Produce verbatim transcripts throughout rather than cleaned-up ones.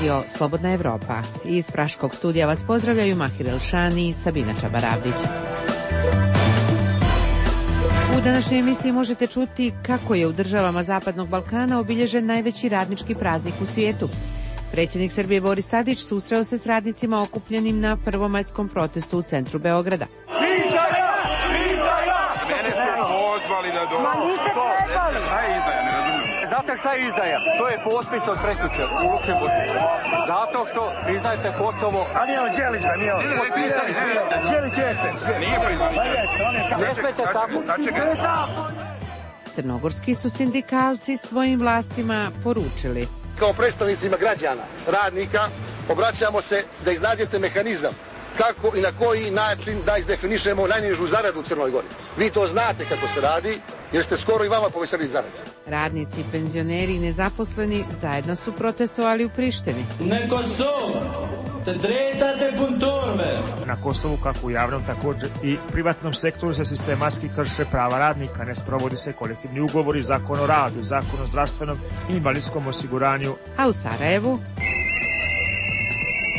radio Slobodna Evropa. Iz Praškog studija vas pozdravljaju Mahir Elšani i Sabina Čabaravdić. U današnjoj emisiji možete čuti kako je u državama Zapadnog Balkana obilježen najveći radnički praznik u svijetu. Predsjednik Srbije Boris Tadić susreo se s radnicima okupljenim na prvomajskom protestu u centru Beograda. Mene ste pozvali da dođu. Ma niste trebali. Šta je izdaja, ne razumijem. Znate šta je izdaja? To je potpis od prekjuče u Luksemburgu. Zato što priznajete Kosovo. A nije on Đelić, ba, nije on. Potpisali svi. Đelić jeste. Nije priznat. Ne smete tako. Crnogorski su sindikalci svojim vlastima poručili: kao predstavnicima građana, radnika, obraćamo se da iznađete mehanizam kako i na koji način da izdefinišemo najnižu zaradu u Crnoj Gori. Vi to znate kako se radi, jer ste skoro i vama povećali zaradu. Radnici, penzioneri i nezaposleni zajedno su protestovali u Prištini. Na Kosovu, kako u javnom, također i privatnom sektoru, se sistematski krše prava radnika, ne sprovodi se kolektivni ugovori, zakon o radu, zakon o zdravstvenom i invalidskom osiguranju. A u Sarajevu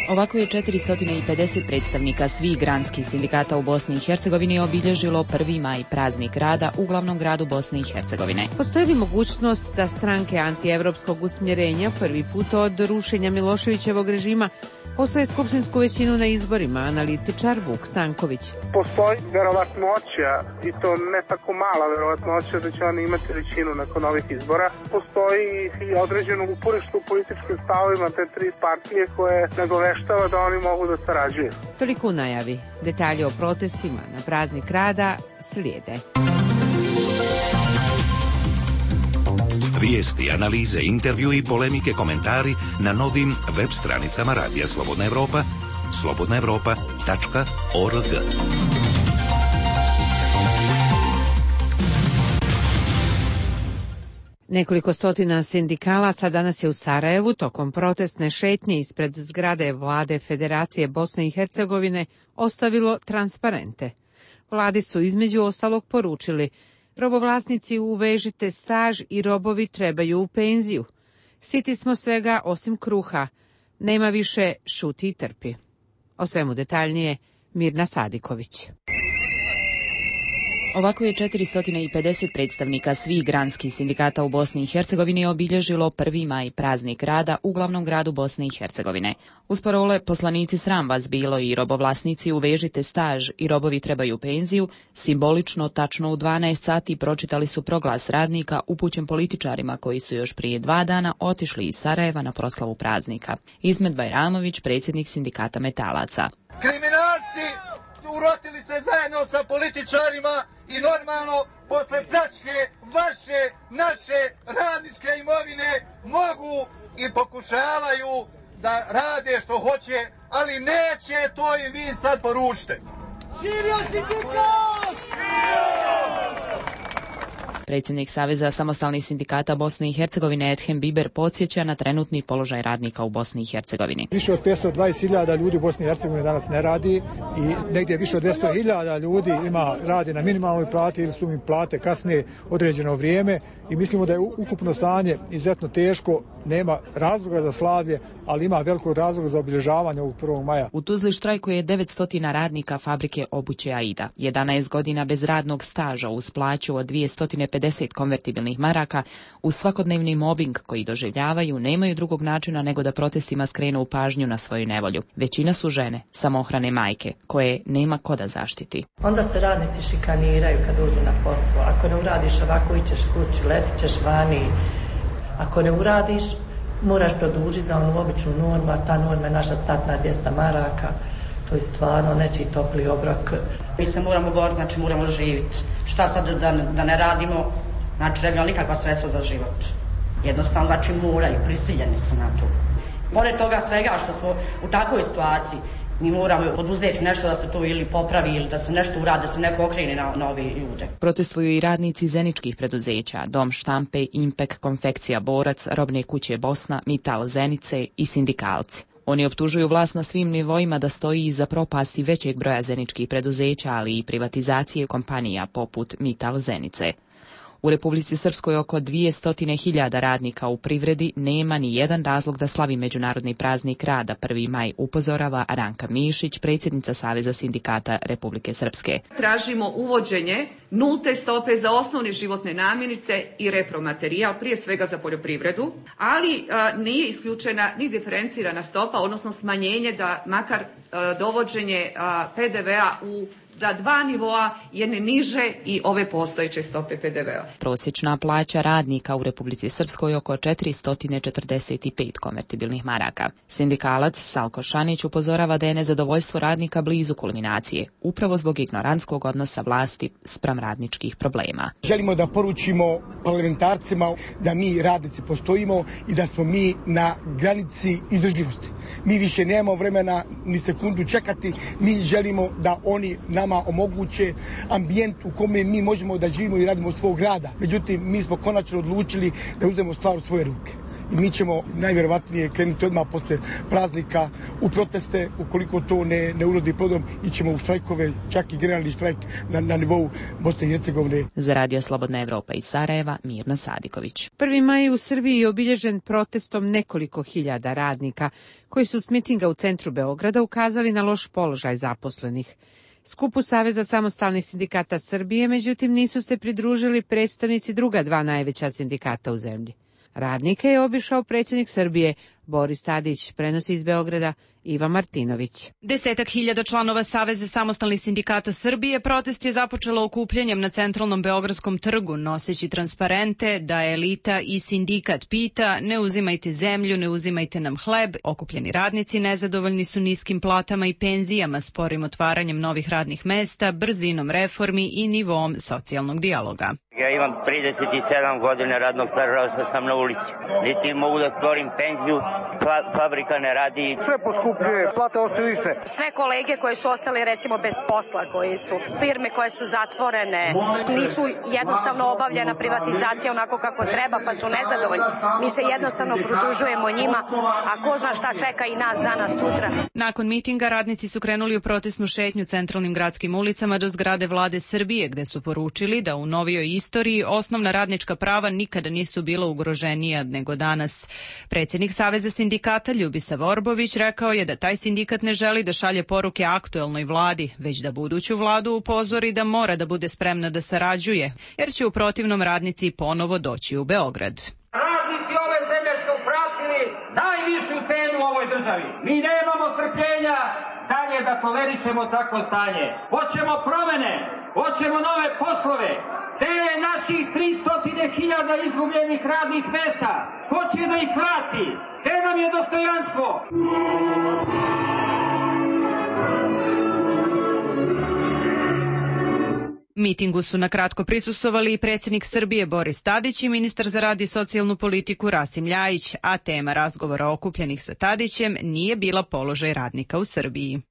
ovako je četiristo pedeset predstavnika svih granskih sindikata u Bosni i Hercegovini obilježilo prvi maj, praznik rada u glavnom gradu Bosne i Hercegovine. Postoji li mogućnost da stranke antievropskog usmjerenja prvi put od rušenja Miloševićevog režima osvoje skupštinsku većinu na izborima? Analitičar Vuk Stanković. Postoji verovatnoća, i to ne tako mala verovatnoća, da će oni imati većinu nakon ovih izbora. Postoji i određeno uporište u političkim stavovima te tri partije koje nagoveštava da oni mogu da sarađuju. Toliko u najavi. Detalje o protestima na praznik rada slijede. Vijesti, analize, intervju i polemike, komentari na novim web stranicama Radija Slobodna Evropa, slobodna evropa tačka org. Nekoliko stotina sindikalaca danas je u Sarajevu tokom protestne šetnje ispred zgrade Vlade Federacije Bosne i Hercegovine ostavilo transparente. Vladi su između ostalog poručili: robovlasnici, uvežite staž i robovi trebaju u penziju. Siti smo svega osim kruha. Nema više, šuti i trpi. O svemu detaljnije Mirna Sadiković. Ovako je četiristo pedeset predstavnika svih granskih sindikata u Bosni i Hercegovini obilježilo prvi maj, praznik rada u glavnom gradu Bosne i Hercegovine. Uz parole poslanici sram vas bilo i robovlasnici uvežite staž i robovi trebaju penziju, simbolično tačno u dvanaest sati pročitali su proglas radnika upućen političarima koji su još prije dva dana otišli iz Sarajeva na proslavu praznika. Izmet Bajramović, predsjednik sindikata metalaca. Kriminalci urotili se zajedno sa političarima i normalno posle pljačke vaše, naše radničke imovine mogu i pokušavaju da rade što hoće, ali neće, to im vi sad poručite. Živio sindikat! Predsjednik Saveza samostalnih sindikata Bosne i Hercegovine Edhem Biber podsjeća na trenutni položaj radnika u Bosni i Hercegovini. Više od petsto dvadeset hiljada ljudi u Bosni i Hercegovini danas ne radi i negdje više od dvjesto hiljada ljudi ima radi na minimalnoj plati ili su im plate kasnije određeno vrijeme i mislimo da je ukupno stanje izuzetno teško, nema razloga za slavlje, ali ima velikog razloga za obilježavanje ovog prvog maja. U Tuzli štrajkuje devetsto radnika fabrike obuće Aida. jedanaest godina bez radnog staža uz plaću od dvjesto pedeset konvertibilnih maraka, uz svakodnevni mobbing koji doživljavaju, nemaju drugog načina nego da protestima skrenu pažnju na svoju nevolju. Većina su žene, samohrane majke, koje nema ko da zaštiti. Onda se radnici šikaniraju kad uđu na posao. Ako ne uradiš ovako, ićeš kući, letit ćeš vani. Ako ne uradiš, moraš produžiti za onu običnu normu, a ta norma je naša startna dvjesto maraka. To je stvarno nečiji topli obrok. Mi se moramo boriti, znači moramo živjeti. Šta sad da, da ne radimo, znači ne bi nikakva sredstva za život. Jednostavno, znači moraju, prisiljeni su na to. Pored toga svega što smo u takvoj situaciji, mi moramo poduzeti nešto da se to ili popravi ili da se nešto uradi, da se neko okrene na, na ove ljude. Protestuju i radnici zeničkih preduzeća, Dom štampe, Impek, Konfekcija Borac, Robne kuće Bosna, Mital Zenice i sindikalci. Oni optužuju vlast na svim nivoima da stoji iza propasti većeg broja zeničkih preduzeća, ali i privatizacije kompanija poput Mital Zenice. U Republici Srpskoj oko dvjesto hiljada radnika u privredi nema ni jedan razlog da slavi Međunarodni praznik rada prvi maj, upozorava Ranka Mišić, predsjednica Saveza sindikata Republike Srpske. Tražimo uvođenje nulte stope za osnovne životne namirnice i repromaterijal, prije svega za poljoprivredu, ali a, nije isključena ni diferencirana stopa, odnosno smanjenje da makar a, dovođenje a, pe de vea u da dva nivoa jedne niže i ove postojeće stope pe de vea. Prosječna plaća radnika u Republici Srpskoj oko četiristo četrdeset pet konvertibilnih maraka. Sindikalac Salko Šanić upozorava da je nezadovoljstvo radnika blizu kulminacije, upravo zbog ignorantskog odnosa vlasti spram radničkih problema. Želimo da poručimo parlamentarcima da mi radnici postojimo i da smo mi na granici izdržljivosti. Mi više nemamo vremena ni sekundu čekati, mi želimo da oni nama omoguće ambijent u kome mi možemo da živimo i radimo od svog rada. Međutim, mi smo konačno odlučili da uzmemo stvar u svoje ruke. I mi ćemo najvjerovatnije krenuti odmah posle praznika u proteste, ukoliko to ne, ne urodi plodom, ićemo u štrajkove, čak i generalni štrajk na, na nivou Bosne i Hercegovine. Za Radio Slobodna Evropa iz Sarajeva, Mirna Sadiković. prvi maj u Srbiji je obilježen protestom nekoliko hiljada radnika, koji su s mitinga u centru Beograda ukazali na loš položaj zaposlenih. Skupu Saveza samostalnih sindikata Srbije, međutim, nisu se pridružili predstavnici druga dva najveća sindikata u zemlji. Radnike je obišao predsjednik Srbije Boris Tadić, prenosi iz Beograda Iva Martinović. Desetak hiljada članova Saveza samostalnih sindikata Srbije protest je započelo okupljanjem na centralnom Beogradskom trgu, noseći transparente da elita i sindikat pita ne uzimajte zemlju, ne uzimajte nam hleb. Okupljeni radnici nezadovoljni su niskim platama i penzijama, sporim otvaranjem novih radnih mesta, brzinom reformi i nivom socijalnog dijaloga. Ja imam trideset sedam godina radnog staža, ostao sam na ulici. Niti mogu da stvorim penziju, fa fabrika ne radi. Sve poskupljuje, plate ostaju iste. Sve kolege koje su ostali recimo bez posla, koji su firme koje su zatvorene, nisu jednostavno obavljena privatizacija onako kako treba, pa su nezadovoljni. Mi se jednostavno pridružujemo njima, a ko zna šta čeka i nas danas sutra. Nakon mitinga radnici su krenuli u protestnu šetnju centralnim gradskim ulicama do zgrade Vlade Srbije, gde su poručili da u novijoj istoriji osnovna radnička prava nikada nisu bila ugroženija nego danas. Predsjednik Saveza sindikata Ljubisa Vorbović rekao je da taj sindikat ne želi da šalje poruke aktuelnoj vladi, već da buduću vladu upozori da mora da bude spremna da sarađuje, jer će u protivnom radnici ponovo doći u Beograd. Radnici ove zemlje su pratili najvišu cenu u ovoj državi. Mi nemamo strpljenja dalje da tolerišemo takvo stanje. Hoćemo promene, hoćemo nove poslove. Te naših tristo hiljada izgubljenih radnih mesta, ko će da ih vrati? Te nam je dostojanstvo. Mitingu su nakratko prisustvovali i predsjednik Srbije Boris Tadić i ministar za rad i socijalnu politiku Rasim Ljajić, a tema razgovora okupljenih sa Tadićem nije bila položaj radnika u Srbiji.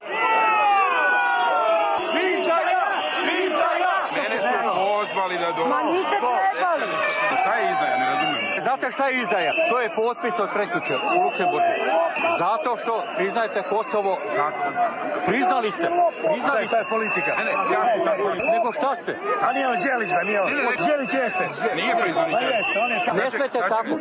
Pozvali da do... Ma niste trebali. Šta je izdaja, ne razumijem. Znate šta je izdaja? To je potpis od prekjuče u Luksemburgu. Zato što priznajete Kosovo. Priznali ste. Priznali ste. To je politika. Ne, ne, ja, Nego šta ste? A nije on Đelić, ba, nije on. Đelić jeste. Nije priznali. Pa jeste, on je šta. Ne smete tako.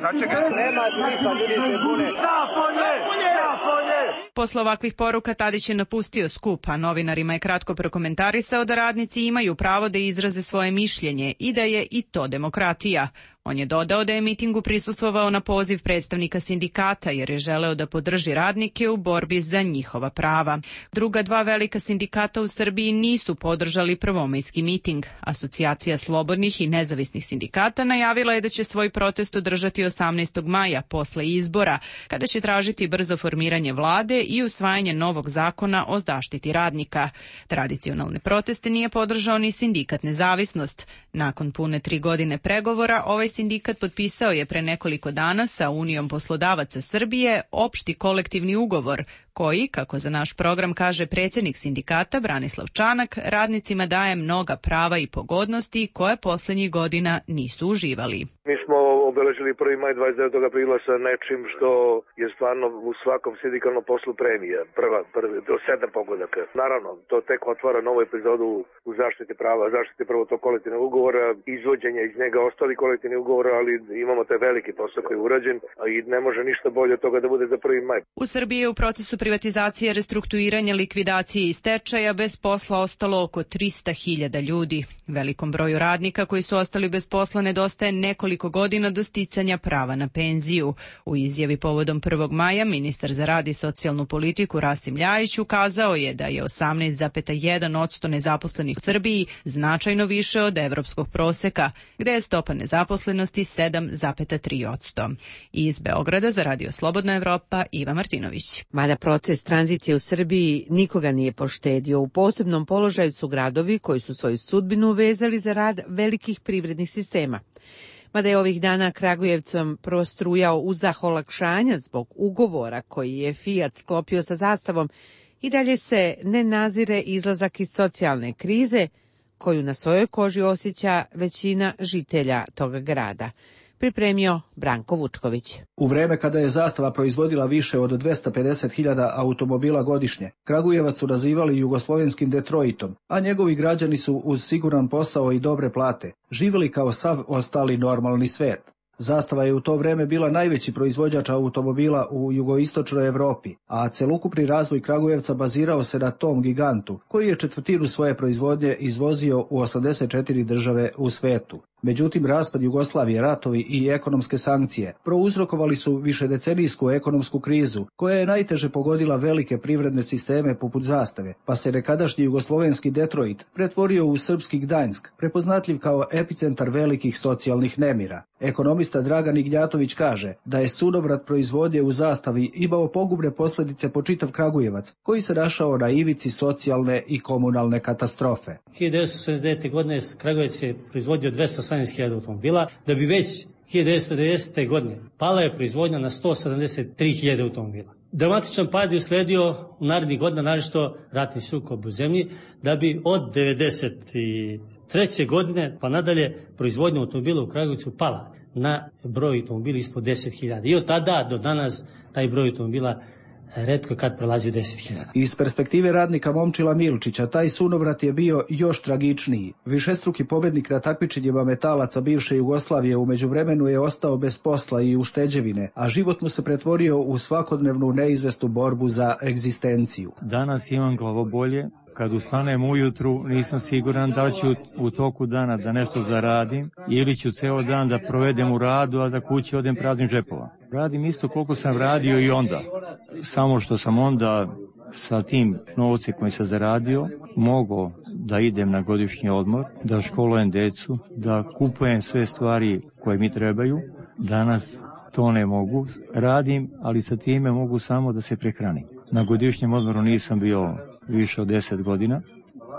Nema smisla, ljudi se bune. Zapolje! Zapolje! Posle ovakvih poruka Tadić je napustio skup, a novinarima je kratko prokomentarisao da radnici imaju pravo da izraze svoje mišljenje i da je i to demokratija. On je dodao da je mitingu prisustvovao na poziv predstavnika sindikata jer je želeo da podrži radnike u borbi za njihova prava. Druga dva velika sindikata u Srbiji nisu podržali prvomajski miting. Asocijacija slobodnih i nezavisnih sindikata najavila je da će svoj protest održati osamnaestog maja posle izbora, kada će tražiti brzo formiranje vlade i usvajanje novog zakona o zaštiti radnika. Tradicionalne proteste nije podržao ni sindikat Nezavisnost. Nakon pune tri godine pregovora, ovaj sindikat potpisao je pre nekoliko dana sa Unijom poslodavaca Srbije opšti kolektivni ugovor koji, kako za naš program kaže predsjednik sindikata Branislav Čanak, radnicima daje mnoga prava i pogodnosti koje posljednjih godina nisu uživali. Mi smo obeležili prvi maj dvadeset devetog aprila sa nečim što je stvarno u svakom sindikalnom poslu premija, prva, prvi, do sedam pogodaka. Naravno, to tek otvara novu epizodu u zaštiti prava, zaštiti prvo to kolektivnog ugovora, izvođenja iz njega ostali kolektivni ugovora, ali imamo taj veliki posao koji je urađen, a i ne može ništa bolje od toga da bude za prvi maj. U Srbiji je u procesu privatizacije, restrukturiranja, likvidacije i stečaja bez posla ostalo oko trista hiljada ljudi. Velikom broju radnika koji su ostali bez posla nedostaje nekoliko godina do sticanja prava na penziju. U izjavi povodom prvog maja ministar za rad i socijalnu politiku Rasim Ljajić ukazao je da je osamnaest zarez jedan posto nezaposlenih u Srbiji značajno više od evropskog proseka, gde je stopa nezaposlenosti sedam zarez tri posto. Iz Beograda za Radio Slobodna Evropa, Iva Martinović. Mada proces tranzicije u Srbiji nikoga nije poštedio. U posebnom položaju su gradovi koji su svoju sudbinu vezali za rad velikih privrednih sistema. Mada je ovih dana Kragujevcom prostrujao uzdah olakšanja zbog ugovora koji je Fiat sklopio sa Zastavom, i dalje se ne nazire izlazak iz socijalne krize koju na svojoj koži osjeća većina žitelja toga grada. Pripremio Branko Vučković. U vreme kada je Zastava proizvodila više od dvesta pedeset hiljada automobila godišnje, Kragujevac su nazivali jugoslovenskim Detroitom, a njegovi građani su uz siguran posao i dobre plate živjeli kao sav ostali normalni svet. Zastava je u to vreme bila najveći proizvođač automobila u jugoistočnoj Evropi, a celokupni razvoj Kragujevca bazirao se na tom gigantu, koji je četvrtinu svoje proizvodnje izvozio u osamdeset četiri države u svetu. Međutim, raspad Jugoslavije, ratovi i ekonomske sankcije prouzrokovali su višedecenijsku ekonomsku krizu, koja je najteže pogodila velike privredne sisteme poput Zastave, pa se nekadašnji jugoslovenski Detroit pretvorio u srpski Gdanjsk, prepoznatljiv kao epicentar velikih socijalnih nemira. Ekonomista Dragan Ignjatović kaže da je sunovrat proizvodnje u Zastavi imao pogubne posljedice po čitav Kragujevac, koji se našao na ivici socijalne i komunalne katastrofe. hiljadu devetsto sedamdeset devete. godine Kragujevac je proizvodio dvesta osamnaest hiljada automobila, da bi već hiljadu devetsto devedesete. godine pala je proizvodnja na sto sedamdeset tri hiljade automobila. Dramatičan pad je usledio u narednih godina, naročito ratni sukob u zemlji, da bi od devedeset treće. godine pa nadalje proizvodnja automobila u Kragujevcu pala na broj automobila ispod deset hiljada. I od tada do danas taj broj automobila retko kad prelazi deset hiljada. Iz perspektive radnika Momčila Milčića, taj sunovrat je bio još tragičniji. Višestruki pobednik na takmičenjima metalaca bivše Jugoslavije u međuvremenu je ostao bez posla i ušteđevine, a život mu se pretvorio u svakodnevnu neizvesnu borbu za egzistenciju. Danas imam glavobolje. Kad ustanem ujutru, nisam siguran da ću u toku dana da nešto zaradim ili ću ceo dan da provedem u radu, a da kući odem praznim džepova. Radim isto koliko sam radio i onda. Samo što sam onda sa tim novcem koji sam zaradio mogao da idem na godišnji odmor, da školujem decu, da kupujem sve stvari koje mi trebaju. Danas to ne mogu. Radim, ali sa time mogu samo da se prehranim. Na godišnjem odmoru nisam bio više od deset godina.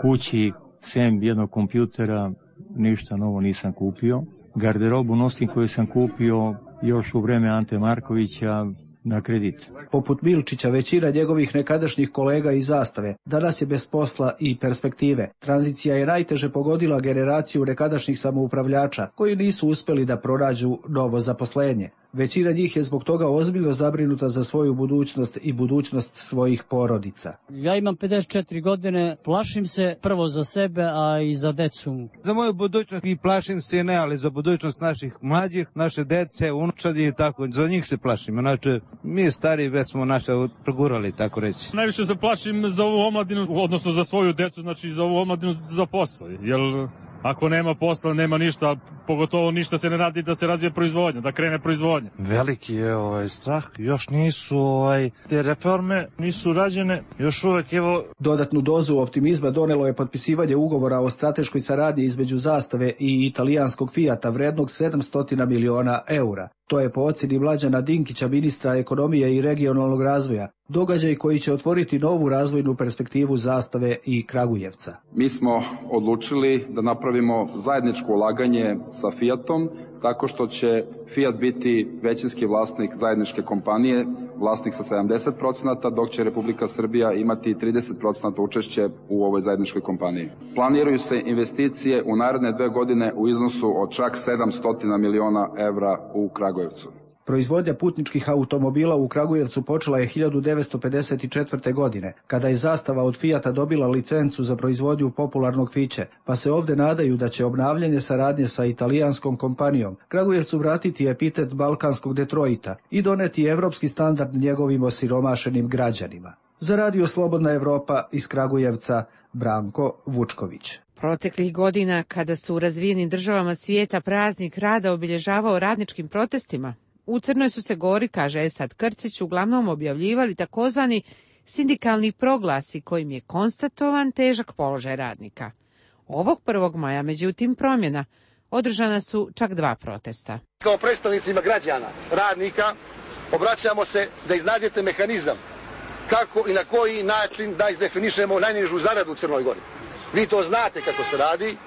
Kući, sem jednog kompjutera, ništa novo nisam kupio. Garderobu nosim koju sam kupio još u vreme Ante Markovića na kredit. Poput Milčića, većina njegovih nekadašnjih kolega iz Zastave danas je bez posla i perspektive. Tranzicija je najteže pogodila generaciju nekadašnjih samoupravljača koji nisu uspeli da pronađu novo zaposlenje. Većina njih je zbog toga ozbiljno zabrinuta za svoju budućnost i budućnost svojih porodica. Ja imam pedeset četiri godine, plašim se prvo za sebe, a i za decu. Za moju budućnost i plašim se ne, ali za budućnost naših mlađih, naše dece, unučadi i tako, za njih se plašim. Znači, mi stari već smo naše progurali, tako reći. Najviše se plašim za ovu omladinu, odnosno za svoju decu, znači za ovu omladinu za posao, jer ako nema posla, nema ništa, pogotovo ništa se ne radi da se razvije proizvodnja, da krene proizvodnja. Veliki je ovaj strah, još nisu ovaj te reforme nisu rađene, još uvek evo. Dodatnu dozu optimizma donelo je potpisivanje ugovora o strateškoj saradnji između Zastave i italijanskog Fiata vrednog sedamsto miliona eura. To je po ocjeni Mlađana Dinkića, ministra ekonomije i regionalnog razvoja, događaj koji će otvoriti novu razvojnu perspektivu Zastave i Kragujevca. Mi smo odlučili da napravimo napravimo zajedničko ulaganje sa Fiatom, tako što će Fiat biti većinski vlasnik zajedničke kompanije, vlasnik sa sedamdeset procenata, dok će Republika Srbija imati trideset procenata učešće u ovoj zajedničkoj kompaniji. Planiraju se investicije u naredne dve godine u iznosu od čak sedamsto miliona evra u Kragujevcu. Proizvodnja putničkih automobila u Kragujevcu počela je hiljadu devetsto pedeset četvrte. godine, kada je Zastava od Fijata dobila licencu za proizvodnju popularnog Fiće, pa se ovde nadaju da će obnavljanje saradnje sa italijanskom kompanijom Kragujevcu vratiti epitet balkanskog Detroita i doneti evropski standard njegovim osiromašenim građanima. Za Radio Slobodna Evropa iz Kragujevca, Branko Vučković. Proteklih godina, kada su u razvijenim državama svijeta praznik rada obilježavao radničkim protestima, u Crnoj su se Gori, kaže Esad Krcić, uglavnom objavljivali takozvani sindikalni proglasi kojim je konstatovan težak položaj radnika. Ovog prvog maja, međutim, promjena. Održana su čak dva protesta. Kao predstavnicima građana, radnika, obraćamo se da iznađete mehanizam kako i na koji način da izdefinišemo najnižu zaradu u Crnoj Gori. Vi to znate kako se radi,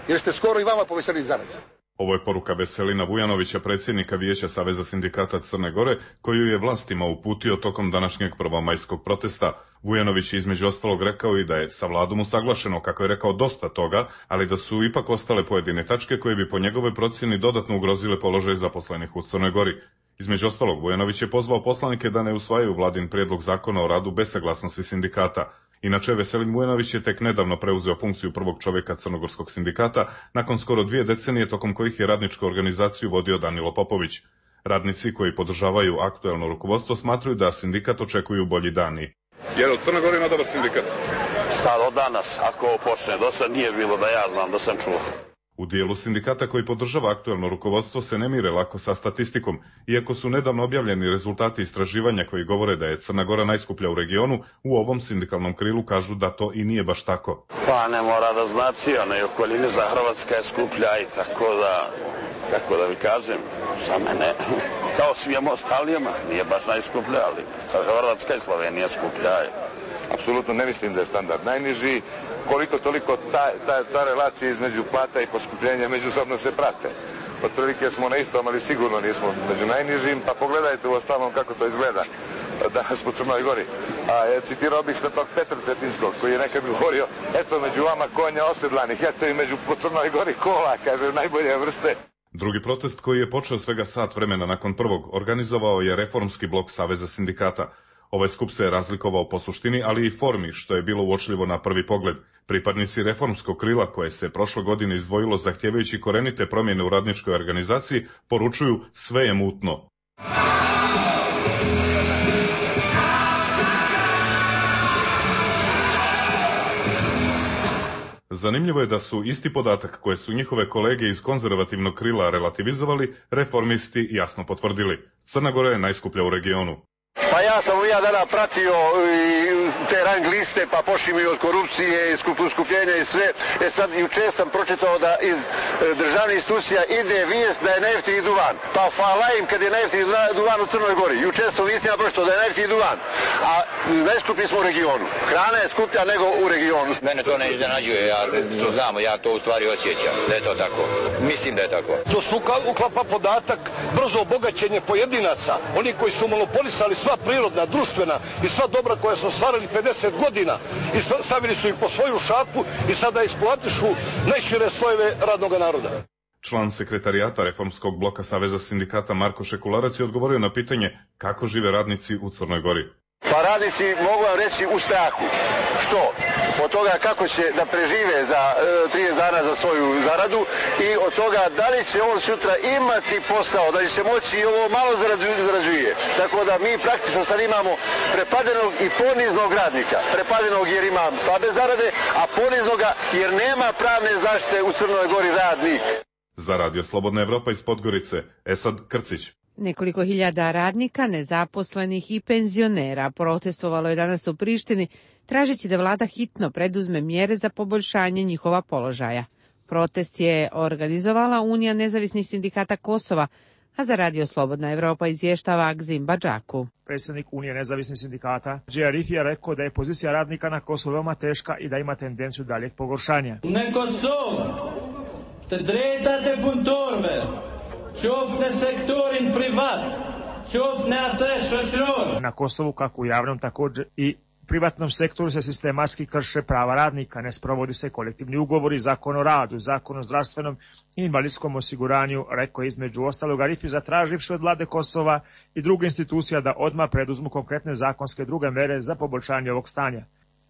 jer ste skoro i vama povećali zaradu. Ovo je poruka Veselina Vujanovića, predsjednika Vijeća Saveza sindikata Crne Gore, koju je vlastima uputio tokom današnjeg prvomajskog protesta. Vujanović je između ostalog rekao i da je sa vladom usaglašeno, kako je rekao, dosta toga, ali da su ipak ostale pojedine tačke koje bi po njegovoj procjeni dodatno ugrozile položaj zaposlenih u Crnoj Gori. Između ostalog, Vujanović je pozvao poslanike da ne usvajaju vladin prijedlog zakona o radu bez saglasnosti sindikata. Inače, Veselin Vujanović je tek nedavno preuzeo funkciju prvog čovjeka Crnogorskog sindikata, nakon skoro dvije decenije tokom kojih je radničku organizaciju vodio Danilo Popović. Radnici koji podržavaju aktuelno rukovodstvo smatruju da sindikat očekuju bolji dani. Jer u Crnoj Gori ima dobar sindikat? Sad od danas, ako ovo počne, do sad nije bilo da ja znam, da sam čuo. U dijelu sindikata koji podržava aktuelno rukovodstvo se ne mire lako sa statistikom, iako su nedavno objavljeni rezultati istraživanja koji govore da je Crna Gora najskuplja u regionu, u ovom sindikalnom krilu kažu da to i nije baš tako. Pa ne mora da znači, ona i okolini za Hrvatska je skuplja i tako da, kako da vi kažem, za mene, kao svijemo ostalijama, nije baš najskuplja, ali Hrvatska i Slovenija skuplja. Apsolutno ne mislim da je standard najniži, koliko toliko ta, ta, ta relacija između plata i poskupljenja međusobno se prate. Otprilike smo na istom, ali sigurno nismo među najnižim, pa pogledajte u ostalom kako to izgleda danas po Crnoj Gori. A je, citirao bih Svetog Petra Cetinskog, koji je nekad govorio, eto među vama konja osedlanih, eto i među po Crnoj Gori kola, kaže, najbolje vrste. Drugi protest koji je počeo svega sat vremena nakon prvog organizovao je Reformski blok Saveza sindikata. Ovaj skup se je razlikovao po suštini, ali i formi, što je bilo uočljivo na prvi pogled. Pripadnici reformskog krila, koje se prošle godine izdvojilo zahtjevajući korenite promjene u radničkoj organizaciji, poručuju sve je mutno. Zanimljivo je da su isti podatak koje su njihove kolege iz konzervativnog krila relativizovali, reformisti jasno potvrdili. Crna Gora je najskuplja u regionu. Pa ja sam ja dana pratio te rang liste, pa pošli mi od korupcije, skupljenja i sve. E sad juče sam pročitao da iz državnih institucija ide vijest da je naftni duvan. Pa hvala im kad je naftni duvan u Crnoj Gori. Juče sam vistima pročitao da je naftni duvan, a najskuplji smo u regionu. Hrana je skuplja nego u regionu. Mene to ne iznenađuje, ja znam, ja to u stvari osjećam, da je to tako. Mislim da je tako. To su uklapa podatak brzo obogaćenje pojedinaca, oni koji su monopolisali sva prirodna, društvena i sva dobra koja su stvarali pedeset godina i stavili su ih po svoju šapu i sada eksploatišu najšire slojeve radnog naroda. Član sekretarijata Reformskog bloka Saveza sindikata Marko Šekularac je odgovorio na pitanje kako žive radnici u Crnoj Gori. Pa radnici, mogu vam reći, u strahu. Što? Od toga kako će da prežive za e, trideset dana za svoju zaradu i od toga da li će on sutra imati posao, da li će moći i ovo malo zarađuje. Tako da mi praktično sad imamo prepadenog i poniznog radnika. Prepadenog jer ima slabe zarade, a poniznoga jer nema pravne zaštite u Crnoj Gori radnik. Za Radio Slobodna Evropa iz Podgorice, Esad Krcić. Nekoliko hiljada radnika, nezaposlenih i penzionera protestovalo je danas u Prištini, tražeći da vlada hitno preduzme mjere za poboljšanje njihova položaja. Protest je organizovala Unija nezavisnih sindikata Kosova, a za Radio Slobodna Evropa izvještava Agzim Badžaku. Predsjednik Unije nezavisnih sindikata Džejarif je rekao da je pozicija radnika na Kosovu veoma teška i da ima tendenciju daljeg pogoršanja. Të drejtat e punëtorëve, qoftë në sektorin privat, qoftë në atë shoqëror. Na Kosovu, kako u javnom, također i privatnom sektoru se sistematski krše prava radnika, ne sprovodi se kolektivni ugovori, zakon o radu, zakon o zdravstvenom i invalidskom osiguranju, rekao je između ostalog Arifi, zatraživši od vlade Kosova i druge institucija da odmah preduzmu konkretne zakonske druge mere za poboljšanje ovog stanja.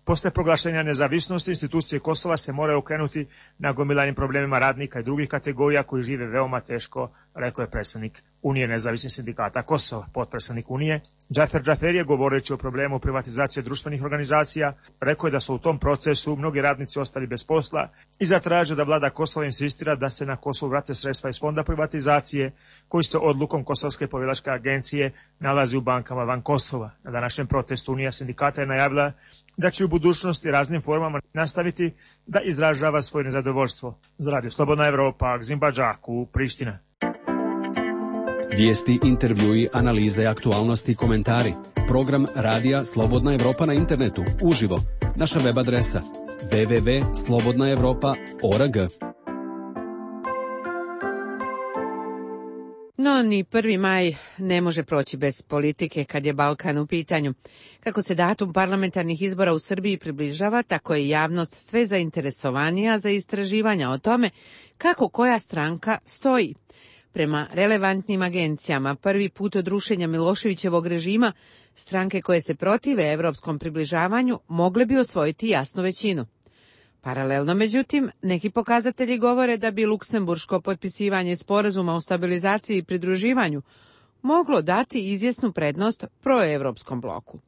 Posle proglašenja nezavisnosti, institucije Kosova se moraju okrenuti nagomilanim problemima radnika i drugih kategorija koji žive veoma teško, rekao je predsednik Unije nezavisnih sindikata Kosova. Potpredsednik Unije Džafer Džafer je, govoreći o problemu privatizacije društvenih organizacija, rekao je da su u tom procesu mnogi radnici ostali bez posla i zatražio da vlada Kosova insistira da se na Kosovu vrate sredstva iz fonda privatizacije koji se odlukom Kosovske povjeračke agencije nalazi u bankama van Kosova. Na današnjem protestu Unija sindikata je najavila da će u budućnosti raznim formama nastaviti da izražava svoje nezadovoljstvo. Za Radio Slobodna Evropa, Gzimba Džaku, Priština. Vijesti, intervjui, analize, aktualnosti i komentari. Program Radija Slobodna Evropa na internetu, uživo. Naša web adresa w w w tačka slobodna evropa tačka org. No, ni prvi maj ne može proći bez politike kad je Balkan u pitanju. Kako se datum parlamentarnih izbora u Srbiji približava, tako je javnost sve zainteresovanija za istraživanja o tome kako koja stranka stoji. Prema relevantnim agencijama, prvi put od rušenja Miloševićevog režima, stranke koje se protive evropskom približavanju mogle bi osvojiti jasnu većinu. Paralelno, međutim, neki pokazatelji govore da bi luksemburško potpisivanje sporazuma o stabilizaciji i pridruživanju moglo dati izvjesnu prednost proevropskom bloku.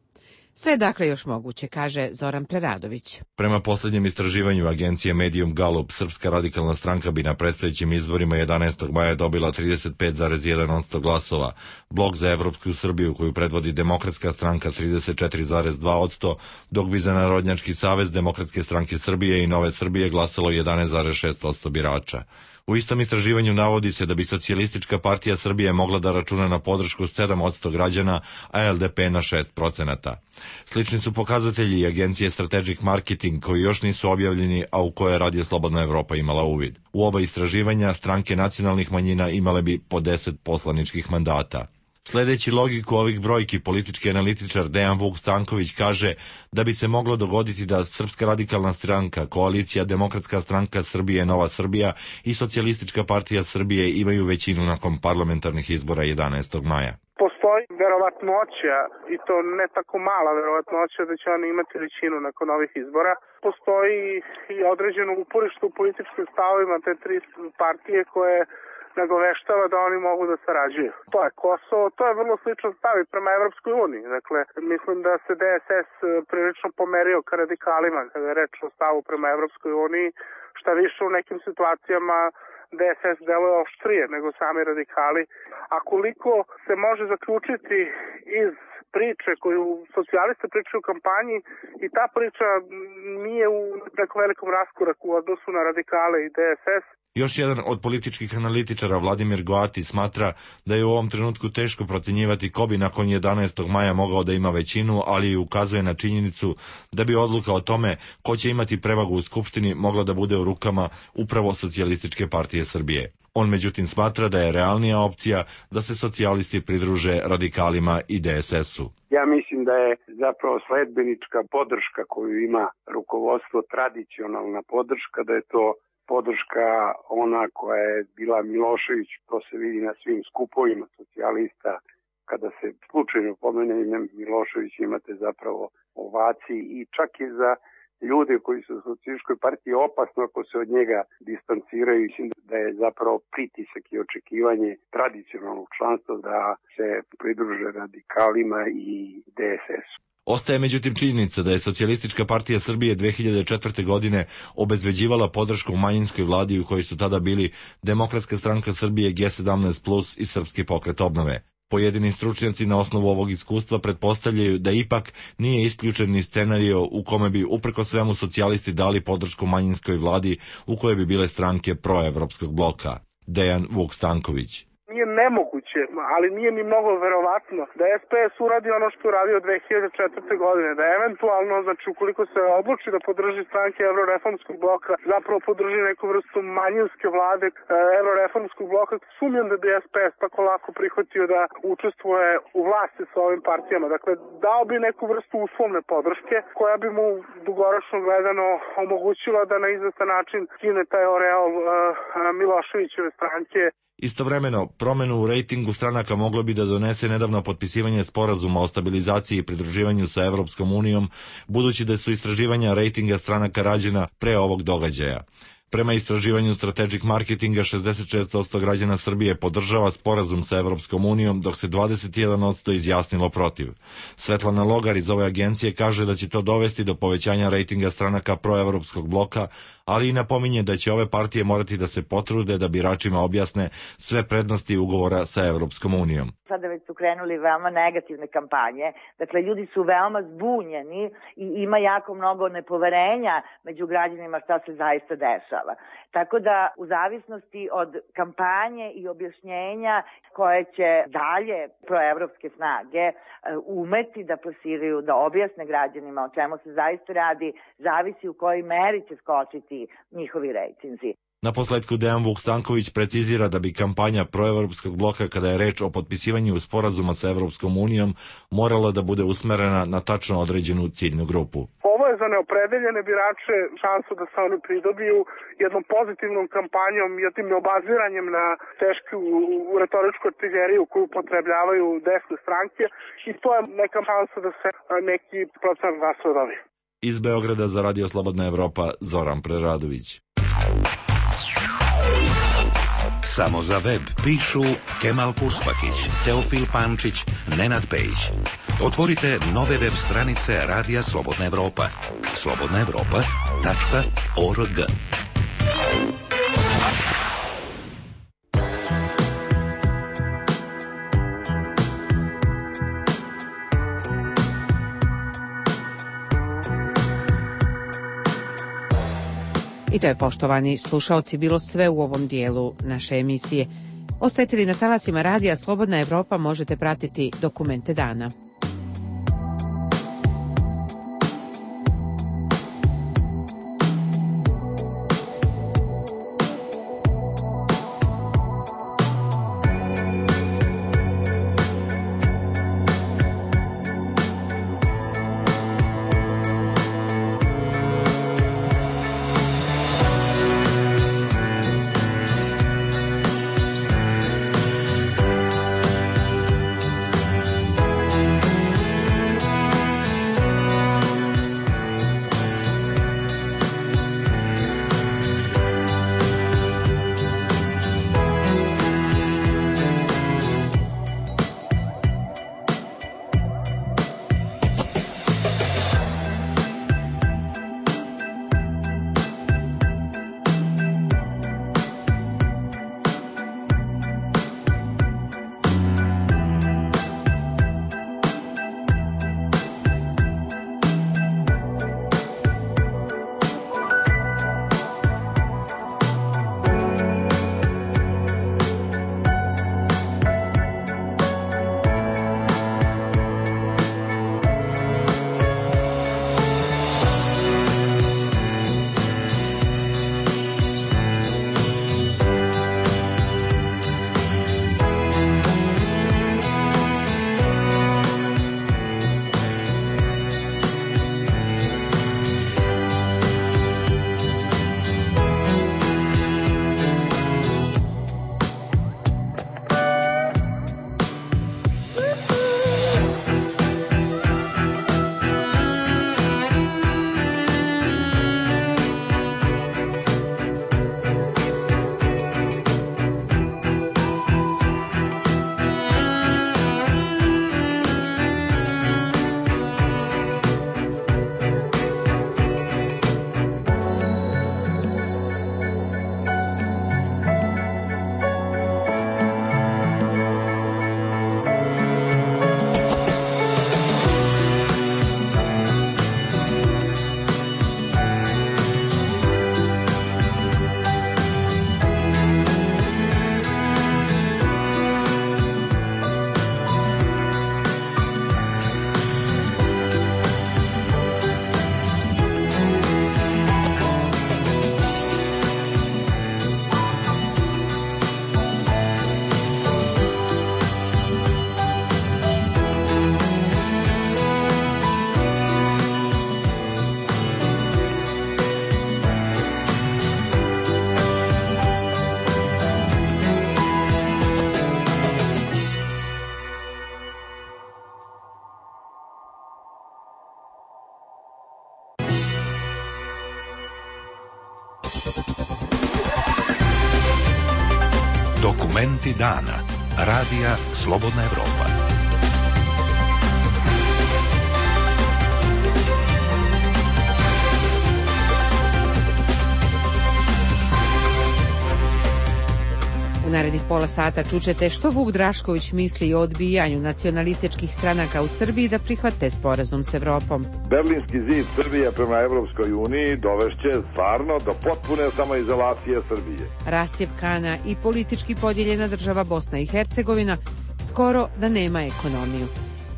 Sve dakle još moguće, kaže Zoran Preradović. Prema posljednjem istraživanju agencije Medium Gallup, Srpska radikalna stranka bi na predstojećim izborima jedanaestog maja dobila trideset pet zarez jedan posto glasova, Blok za Evropsku Srbiju koju predvodi Demokratska stranka trideset četiri zarez dva posto, dok bi za Narodnjački savez Demokratske stranke Srbije i Nove Srbije glasalo jedanaest zarez šest posto birača. U istom istraživanju navodi se da bi Socijalistička partija Srbije mogla da računa na podršku sedam posto građana, a L D P na šest procenata. Slični su pokazatelji i agencije Strategic Marketing koji još nisu objavljeni, a u koje Radio Slobodna Evropa imala uvid. U oba istraživanja stranke nacionalnih manjina imale bi po deset poslaničkih mandata. Sledeći logiku ovih brojki, politički analitičar Dejan Vuk Stanković kaže da bi se moglo dogoditi da Srpska radikalna stranka, Koalicija Demokratska stranka Srbije, Nova Srbija i Socijalistička partija Srbije imaju većinu nakon parlamentarnih izbora jedanaestog maja. Postoji verovatnoća, i to ne tako mala verovatnoća, da će oni imati većinu nakon ovih izbora. Postoji i određeno uporište u političkim stavovima te tri partije koje nagoveštava da oni mogu da sarađuju. To je Kosovo, to je vrlo sličan stav i prema Evropskoj uniji. Dakle, mislim da se D S S prilično pomerio ka radikalima kada je reč o stavu prema Evropskoj uniji, šta više u nekim situacijama D S S deluje oštrije nego sami radikali. A koliko se može zaključiti iz priče koju socijalisti pričaju u kampanji, i ta priča nije u nekom velikom raskoraku u odnosu na radikale i D S S. Još jedan od političkih analitičara, Vladimir Goati, smatra da je u ovom trenutku teško procenjivati ko bi nakon jedanaestog maja mogao da ima većinu, ali i ukazuje na činjenicu da bi odluka o tome ko će imati prevagu u Skupštini mogla da bude u rukama upravo Socijalističke partije Srbije. On međutim smatra da je realnija opcija da se socijalisti pridruže radikalima i D S S-u. Ja mislim da je zapravo sledbenička podrška koju ima rukovodstvo tradicionalna podrška, da je to podrška ona koja je bila Milošević, to se vidi na svim skupovima socijalista. Kada se slučajno pomene ime Milošević, imate zapravo ovaciji, i čak i za ljude koji su u socijalističkoj partiji opasno ako se od njega distanciraju. Mislim da je zapravo pritisak i očekivanje tradicionalnog članstva da se pridruže radikalima i D S S-u. Ostaje međutim činjenica da je Socijalistička partija Srbije dve hiljade četvrte. godine obezbeđivala podršku manjinskoj vladi u kojoj su tada bili Demokratska stranka Srbije, G sedamnaest plus i Srpski pokret obnove. Pojedini stručnjaci na osnovu ovog iskustva pretpostavljaju da ipak nije isključen ni scenario u kome bi uprko svemu socijalisti dali podršku manjinskoj vladi u kojoj bi bile stranke proevropskog bloka. Dejan Vuk Stanković. Nije nemoguće, ali nije ni mnogo verovatno da S P S uradi ono što je uradio dve hiljade četvrte. godine, da eventualno, znači ukoliko se odluči da podrži stranke Evroreformskog bloka, zapravo podrži neku vrstu manjinske vlade Evroreformskog bloka. Sumnjam da bi S P S tako lako prihvatio da učestvuje u vlasti sa ovim partijama. Dakle, dao bi neku vrstu uslovne podrške koja bi mu dugoročno gledano omogućila da na izvestan način skine taj oreol uh, Miloševićeve stranke. Istovremeno, promenu u rejtingu stranaka moglo bi da donese nedavno potpisivanje sporazuma o stabilizaciji i pridruživanju sa Evropskom unijom, budući da su istraživanja rejtinga stranaka rađena pre ovog događaja. Prema istraživanju Strategic Marketinga, šezdeset šest posto građana Srbije podržava sporazum sa Evropskom unijom, dok se dvadeset jedan posto izjasnilo protiv. Svetlana Logar iz ove agencije kaže da će to dovesti do povećanja rejtinga stranaka proevropskog bloka, ali i napominje da će ove partije morati da se potrude da biračima objasne sve prednosti ugovora sa Evropskom unijom. Sada već su krenuli veoma negativne kampanje, dakle ljudi su veoma zbunjeni i ima jako mnogo nepoverenja među građanima šta se zaista dešava. Tako da u zavisnosti od kampanje i objašnjenja koje će dalje proevropske snage umeti da plasiraju, da objasne građanima o čemu se zaista radi, zavisi u kojoj meri će skočiti njihovi rejtinzi. Na posledku Dejan Vuk Stanković precizira da bi kampanja proevropskog bloka kada je reč o potpisivanju sporazuma sa Evropskom unijom morala da bude usmerena na tačno određenu ciljnu grupu. Ovo je za neopredeljene birače šansu da se oni pridobiju jednom pozitivnom kampanjom, jednim neobaziranjem na tešku retoričku artiljeriju koju upotrebljavaju desne stranke i to je neka šansa da se neki procenat glasova dobije. Iz Beograda za Radio Slobodna Evropa, Zoran Preradović. Samo za web pišu Kemal Purspakić, Teofil Pančić, Nenad Pejić. Otvorite nove web stranice Radija Slobodna Evropa. slobodna evropa tačka org. I to je, poštovani slušaoci, bilo sve u ovom dijelu naše emisije. Ostajete li na talasima Radija Slobodna Evropa, možete pratiti Dokumente dana. Dokumenti dana. Radija Slobodna Evropa. U narednih pola sata čućete što Vuk Drašković misli o odbijanju nacionalističkih stranaka u Srbiji da prihvate sporazum s Evropom. Berlinski zid Srbije prema Evropskoj uniji dovešće stvarno do potpune samoizolacije Srbije. Rascjepkana i politički podijeljena država Bosna i Hercegovina skoro da nema ekonomiju.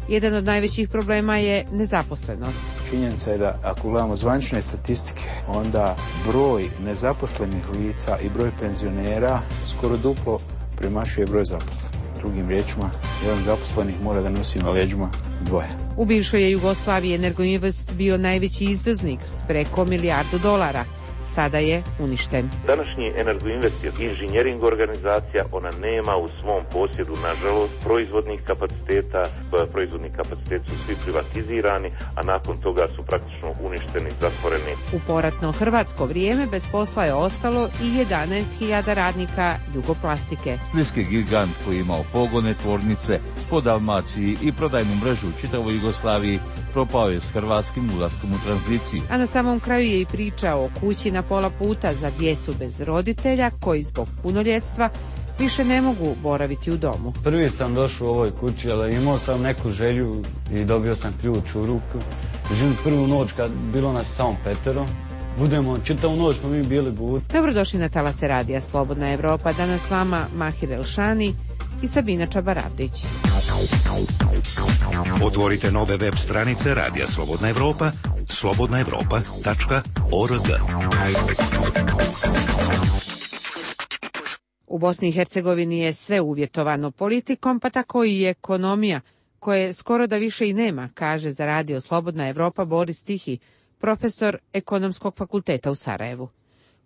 Jedan od najvećih problema je nezaposlenost. Činjenica je da ako gledamo zvanične statistike, onda broj nezaposlenih lica i broj penzionera skoro duplo premašuje broj zaposlenih. Drugim riječima, jedan zaposlenih mora da nosi na leđima dvoje. U bivšoj je Jugoslaviji Energoinvest bio najveći izvoznik s preko milijardu dolara. Sada je uništen. Današnji Energoinvest je inženjering organizacija, ona nema u svom posjedu, nažalost, proizvodnih kapaciteta, proizvodni kapaciteti su svi privatizirani, a nakon toga su praktično uništeni, zatvoreni. U poratno hrvatsko vrijeme bez posla je ostalo i jedanaest hiljada radnika Jugoplastike. Splitski gigant koji je imao pogone, tvornice po Dalmaciji i prodajnu mrežu u čitavoj Jugoslaviji propao je s hrvatskim ulaskom u tranziciju. A na samom kraju je i priča o kući na pola puta za djecu bez roditelja koji zbog punoljetstva više ne mogu boraviti u domu. Prvi sam došao u ovoj kući, ali imao sam neku želju i dobio sam ključ u ruku. Živim prvu noć kad bilo nas samo petero. Budemo, čitavu noć smo mi bili budi. Dobrodošli na talase radija Slobodna Evropa. Danas s vama Mahir Elšani i Sabina Čabaravdić. Otvorite nove web stranice Radija Slobodna Evropa, slobodna evropa tačka org. U Bosni i Hercegovini je sve uvjetovano politikom, pa tako i ekonomija, koje skoro da više i nema, kaže za Radio Slobodna Evropa Boris Tihi, profesor Ekonomskog fakulteta u Sarajevu.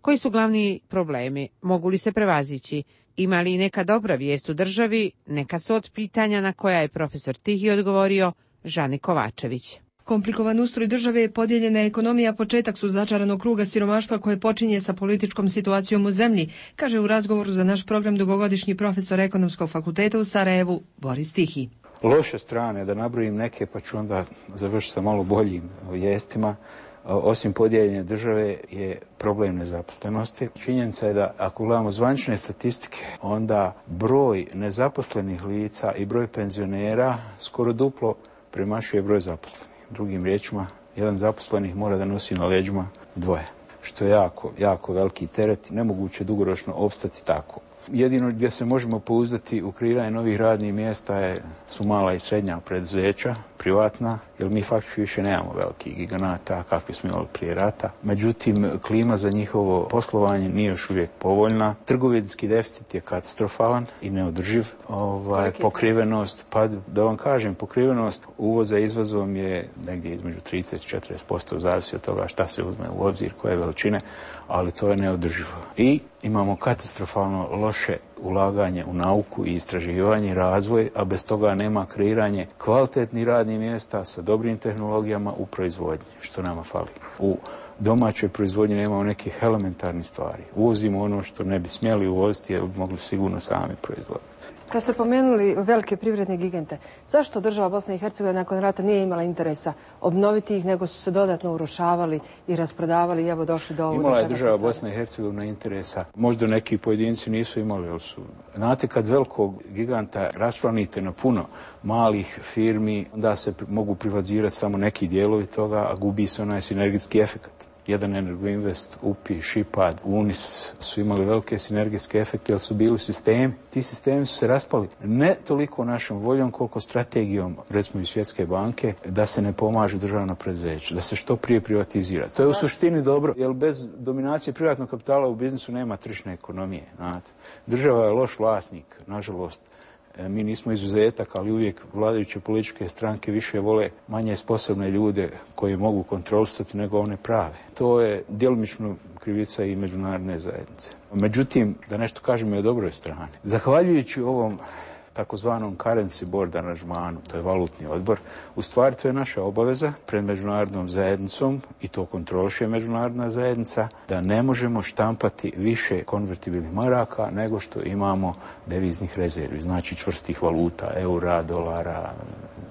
Koji su glavni problemi? Mogu li se prevazići? Ima li neka dobra vijest u državi? Neka su od pitanja na koja je profesor Tihi odgovorio Žani Kovačević. Komplikovan ustroj države je podijeljena ekonomija, početak su začaranog kruga siromaštva koje počinje sa političkom situacijom u zemlji, kaže u razgovoru za naš program dugogodišnji profesor Ekonomskog fakulteta u Sarajevu Boris Tihi. Loše strane, da nabrojim neke pa ću onda završiti sa malo boljim vijestima. Osim podijeljene države je problem nezaposlenosti. Činjenica je da ako gledamo zvanične statistike, onda broj nezaposlenih lica i broj penzionera skoro duplo premašuje broj zaposlenih. Drugim riječima, jedan zaposlenih mora da nosi na leđima dvoje, što je jako, jako veliki teret. Nemoguće dugoročno opstati tako. Jedino gdje se možemo pouzdati u kreiranje novih radnih mjesta je, su mala i srednja preduzeća, privatna, jer mi faktički više nemamo velikih giganata kakvi smo imali prije rata. Međutim, klima za njihovo poslovanje nije još uvijek povoljna. Trgovinski deficit je katastrofalan i neodrživ. Ovaj, pokrivenost, pa da vam kažem, pokrivenost uvoza i izvozom je negdje između trideset do četrdeset posto, zavisi od toga šta se uzme u obzir, koje veličine, ali to je neodrživo. I imamo katastrofalno loše ulaganje u nauku i istraživanje i razvoj, a bez toga nema kreiranje kvalitetnih radnih mjesta sa dobrim tehnologijama u proizvodnji, što nama fali. U domaćoj proizvodnji nemamo nekih elementarnih stvari. Uvozimo ono što ne bi smjeli uvoziti, jer bi mogli sigurno sami proizvoditi. Kad ste pomenuli velike privredne gigante, zašto država Bosna i Hercegovina nakon rata nije imala interesa obnoviti ih, nego su se dodatno urušavali i rasprodavali i evo došli do ovoga? Imala je država Bosna i Hercegovina interesa. Možda neki pojedinci nisu imali, ali su. Znate, kad velikog giganta raščlanite na puno malih firmi, onda se mogu privatizirati samo neki dijelovi toga, a gubi se onaj sinergijski efekt. Jedan Energoinvest, U P I, Šipad, Unis su imali velike sinergijske efekte, jer su bili sistemi. Ti sistemi su se raspali ne toliko našom voljom, koliko strategijom, recimo i Svjetske banke, da se ne pomažu državna preduzeća, da se što prije privatizira. To je u suštini dobro, jer bez dominacije privatnog kapitala u biznisu nema tržišne ekonomije. Znate. Država je loš vlasnik, nažalost. Mi nismo izuzetak, ali uvijek vladajuće političke stranke više vole manje sposobne ljude koji mogu kontrolisati nego one prave. To je djelomično krivica i međunarodne zajednice. Međutim, da nešto kažemo i o dobroj strani. Zahvaljujući ovom takozvanom currency board aranžmanu, to je valutni odbor. U stvari to je naša obaveza pred međunarodnom zajednicom i to kontroliše međunarodna zajednica, da ne možemo štampati više konvertibilnih maraka nego što imamo deviznih rezervi, znači čvrstih valuta, eura, dolara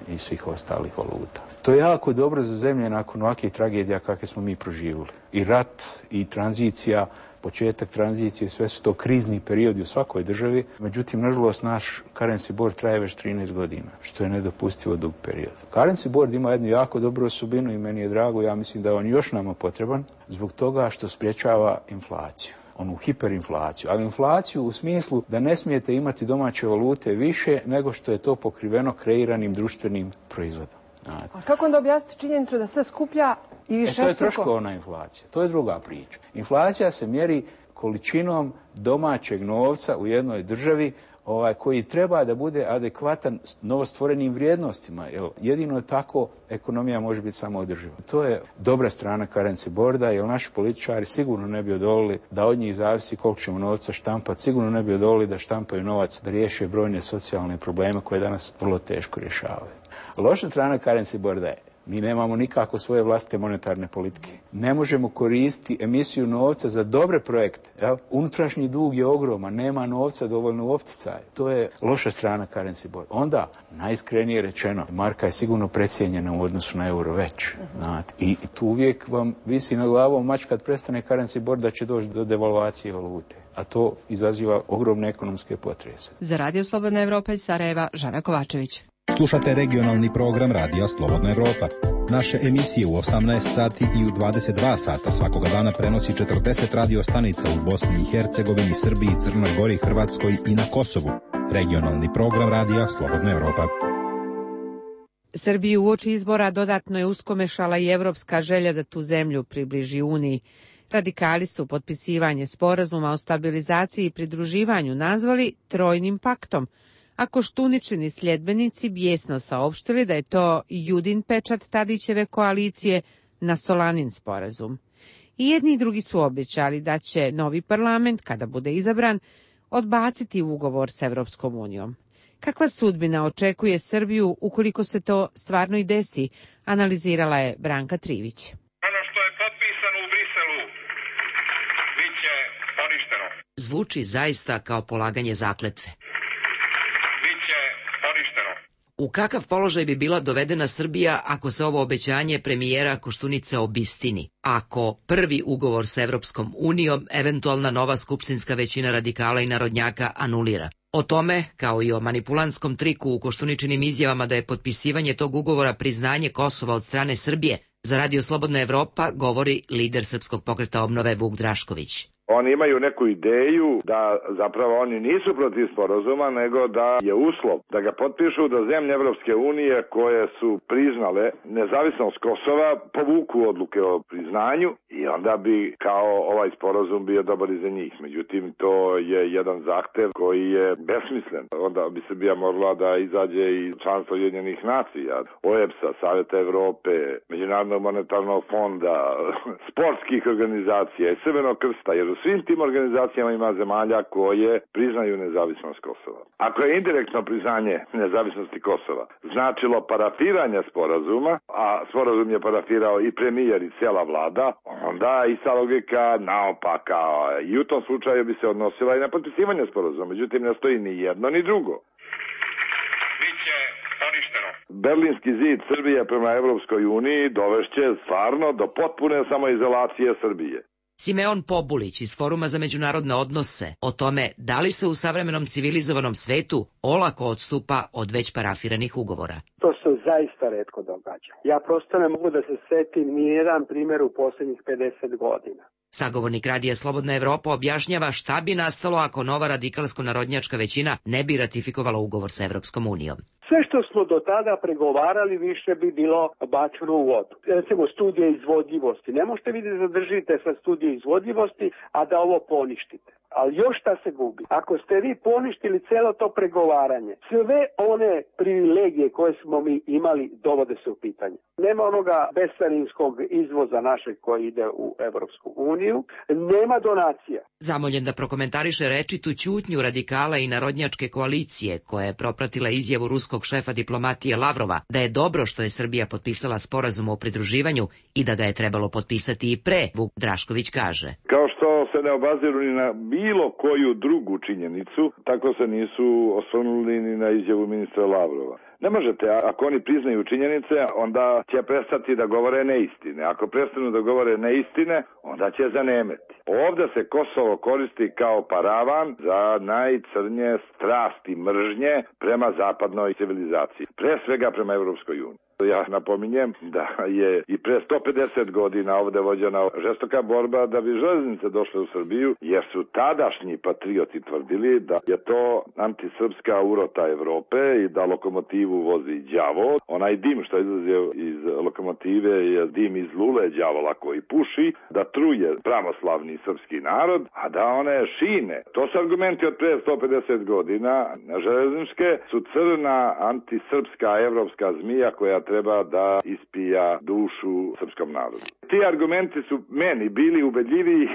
i svih ostalih valuta. To je jako dobro za zemlje nakon ovakvih tragedija kakve smo mi proživjeli. I rat, i tranzicija, početak tranzicije, sve su to krizni periodi u svakoj državi. Međutim, nažalost, naš currency board traje već trinaest godina, što je nedopustivo dug period. Currency board ima jednu jako dobru osobinu i meni je drago, ja mislim da je on još nama potreban, zbog toga što sprječava inflaciju. Onu hiperinflaciju, ali inflaciju u smislu da ne smijete imati domaće valute više nego što je to pokriveno kreiranim društvenim proizvodom. A kako onda objasniti činjenicu da sve skuplja i više? E, to je troškovna inflacija, to je druga priča. Inflacija se mjeri količinom domaćeg novca u jednoj državi ovaj, koji treba da bude adekvatan novostvorenim vrijednostima. Jer jedino tako ekonomija može biti samoodrživa. To je dobra strana currency boarda, jer naši političari sigurno ne bi odolili da od njih zavisi koliko ćemo novca štampati, sigurno ne bi odolili da štampaju novac da riješe brojne socijalne probleme koje danas vrlo teško rješavaju. Loša strana currency boarda je mi nemamo nikako svoje vlastite monetarne politike. Ne možemo koristiti emisiju novca za dobre projekte. Jel? Unutrašnji dug je ogroman, nema novca dovoljno u opticaju. To je loša strana currency board. Onda, najiskrenije rečeno, marka je sigurno precijenjena u odnosu na euro već. Znate. I tu uvijek vam visi na glavom mač kad prestane currency board da će doći do devalvacije valute. A to izaziva ogromne ekonomske potrese. Za Radio Slobodna Evropa iz Sarajeva, Žana Kovačević. Slušate regionalni program Radija Slobodna Evropa. Naše emisije u osamnaest sati i u dvadeset dva sata svakoga dana prenosi četrdeset radio stanica u Bosni i Hercegovini, Srbiji, Crnoj Gori, Hrvatskoj i na Kosovu. Regionalni program Radija Slobodna Evropa. Srbiju uoči izbora dodatno je uskomešala i evropska želja da tu zemlju približi Uniji. Radikali su potpisivanje sporazuma o stabilizaciji i pridruživanju nazvali trojnim paktom, a Koštuničini sljedbenici bijesno saopštili da je to Judin pečat Tadićeve koalicije na Solanin sporazum. I jedni i drugi su obećali da će novi parlament, kada bude izabran, odbaciti ugovor s Evropskom unijom. Kakva sudbina očekuje Srbiju ukoliko se to stvarno i desi, analizirala je Branka Trivić. Ono što je potpisano u Briselu biće poništeno. Zvuči zaista kao polaganje zakletve. U kakav položaj bi bila dovedena Srbija ako se ovo obećanje premijera Koštunice obistini? Ako prvi ugovor sa Evropskom unijom eventualna nova skupštinska većina radikala i narodnjaka anulira? O tome, kao i o manipulantskom triku u Koštuničinim izjavama da je potpisivanje tog ugovora priznanje Kosova od strane Srbije, za Radio Slobodna Evropa govori lider Srpskog pokreta obnove Vuk Drašković. Oni imaju neku ideju da zapravo oni nisu protiv sporazuma, nego da je uslov da ga potpišu da zemlje Evropske unije koje su priznale nezavisnost Kosova povuku odluke o priznanju i onda bi kao ovaj sporazum bio dobar i za njih. Međutim, to je jedan zahtev koji je besmislen. Onda bi Srbija morala da izađe i članstvo Ujedinjenih nacija, O E B S-a, Savjeta Evrope, Međunarodnog monetarnog fonda, sportskih organizacija i Crvenog krsta, jer u svim tim organizacijama ima zemalja koje priznaju nezavisnost Kosova. Ako je indirektno priznanje nezavisnosti Kosova značilo parafiranje sporazuma, a sporazum je parafirao i premijer i cijela vlada, onda i sa logika naopaka i u tom slučaju bi se odnosila i na potpisivanje sporazuma. Međutim, ne stoji ni jedno ni drugo. Biće poništeno. Berlinski zid Srbije prema Evropskoj uniji dovešće stvarno do potpune samoizolacije Srbije. Simeon Pobulić iz Foruma za međunarodne odnose o tome da li se u savremenom civilizovanom svetu olako odstupa od već parafiranih ugovora. To se zaista retko događa. Ja prosto ne mogu da se setim ni jedan primjer u posljednjih pedeset godina. Sagovornik Radija Slobodna Evropa objašnjava šta bi nastalo ako nova radikalsko-narodnjačka većina ne bi ratifikovala ugovor sa Evropskom unijom. Sve što smo do tada pregovarali više bi bilo bačeno u vodu. Recimo studije izvodljivosti. Ne možete vi da zadržite sa studije izvodljivosti, a da ovo poništite. Ali još šta se gubi? Ako ste vi poništili celo to pregovaranje, sve one privilegije koje smo mi imali dovode se u pitanje. Nema onoga bescarinskog izvoza našeg koji ide u Evropsku uniju, nema donacija. Zamoljen da prokomentariše rečitu ćutnju radikala i narodnjačke koalicije, koja je propratila izjavu ruskog šefa diplomatije Lavrova da je dobro što je Srbija potpisala sporazum o pridruživanju i da ga je trebalo potpisati i pre, Vuk Drašković kaže. Kao što se ne obaziru ni na bilo koju drugu činjenicu, tako se nisu osvrnuli ni na izjavu ministra Lavrova. Ne možete, ako oni priznaju činjenice, onda će prestati da govore neistine. Ako prestanu da govore neistine, onda će zanemeti. Ovde se Kosovo koristi kao paravan za najcrnje strasti mržnje prema zapadnoj civilizaciji. Pre svega prema Evropskoj uniji. Ja napominjem da je i pre sto pedeset godina ovde vođena žestoka borba da bi železnice došle u Srbiju, jer su tadašnji patrioti tvrdili da je to antisrpska urota Evrope i da lokomotivu vozi đavo. Onaj dim što izlazi iz lokomotive je dim iz lule đavola koji puši, da truje pravoslavni srpski narod, a da one šine. To su argumenti od pre sto pedeset godina. Železničke su crna antisrpska evropska zmija koja treba da ispija dušu srpskom narodu. Ti argumenti su meni bili ubedljiviji,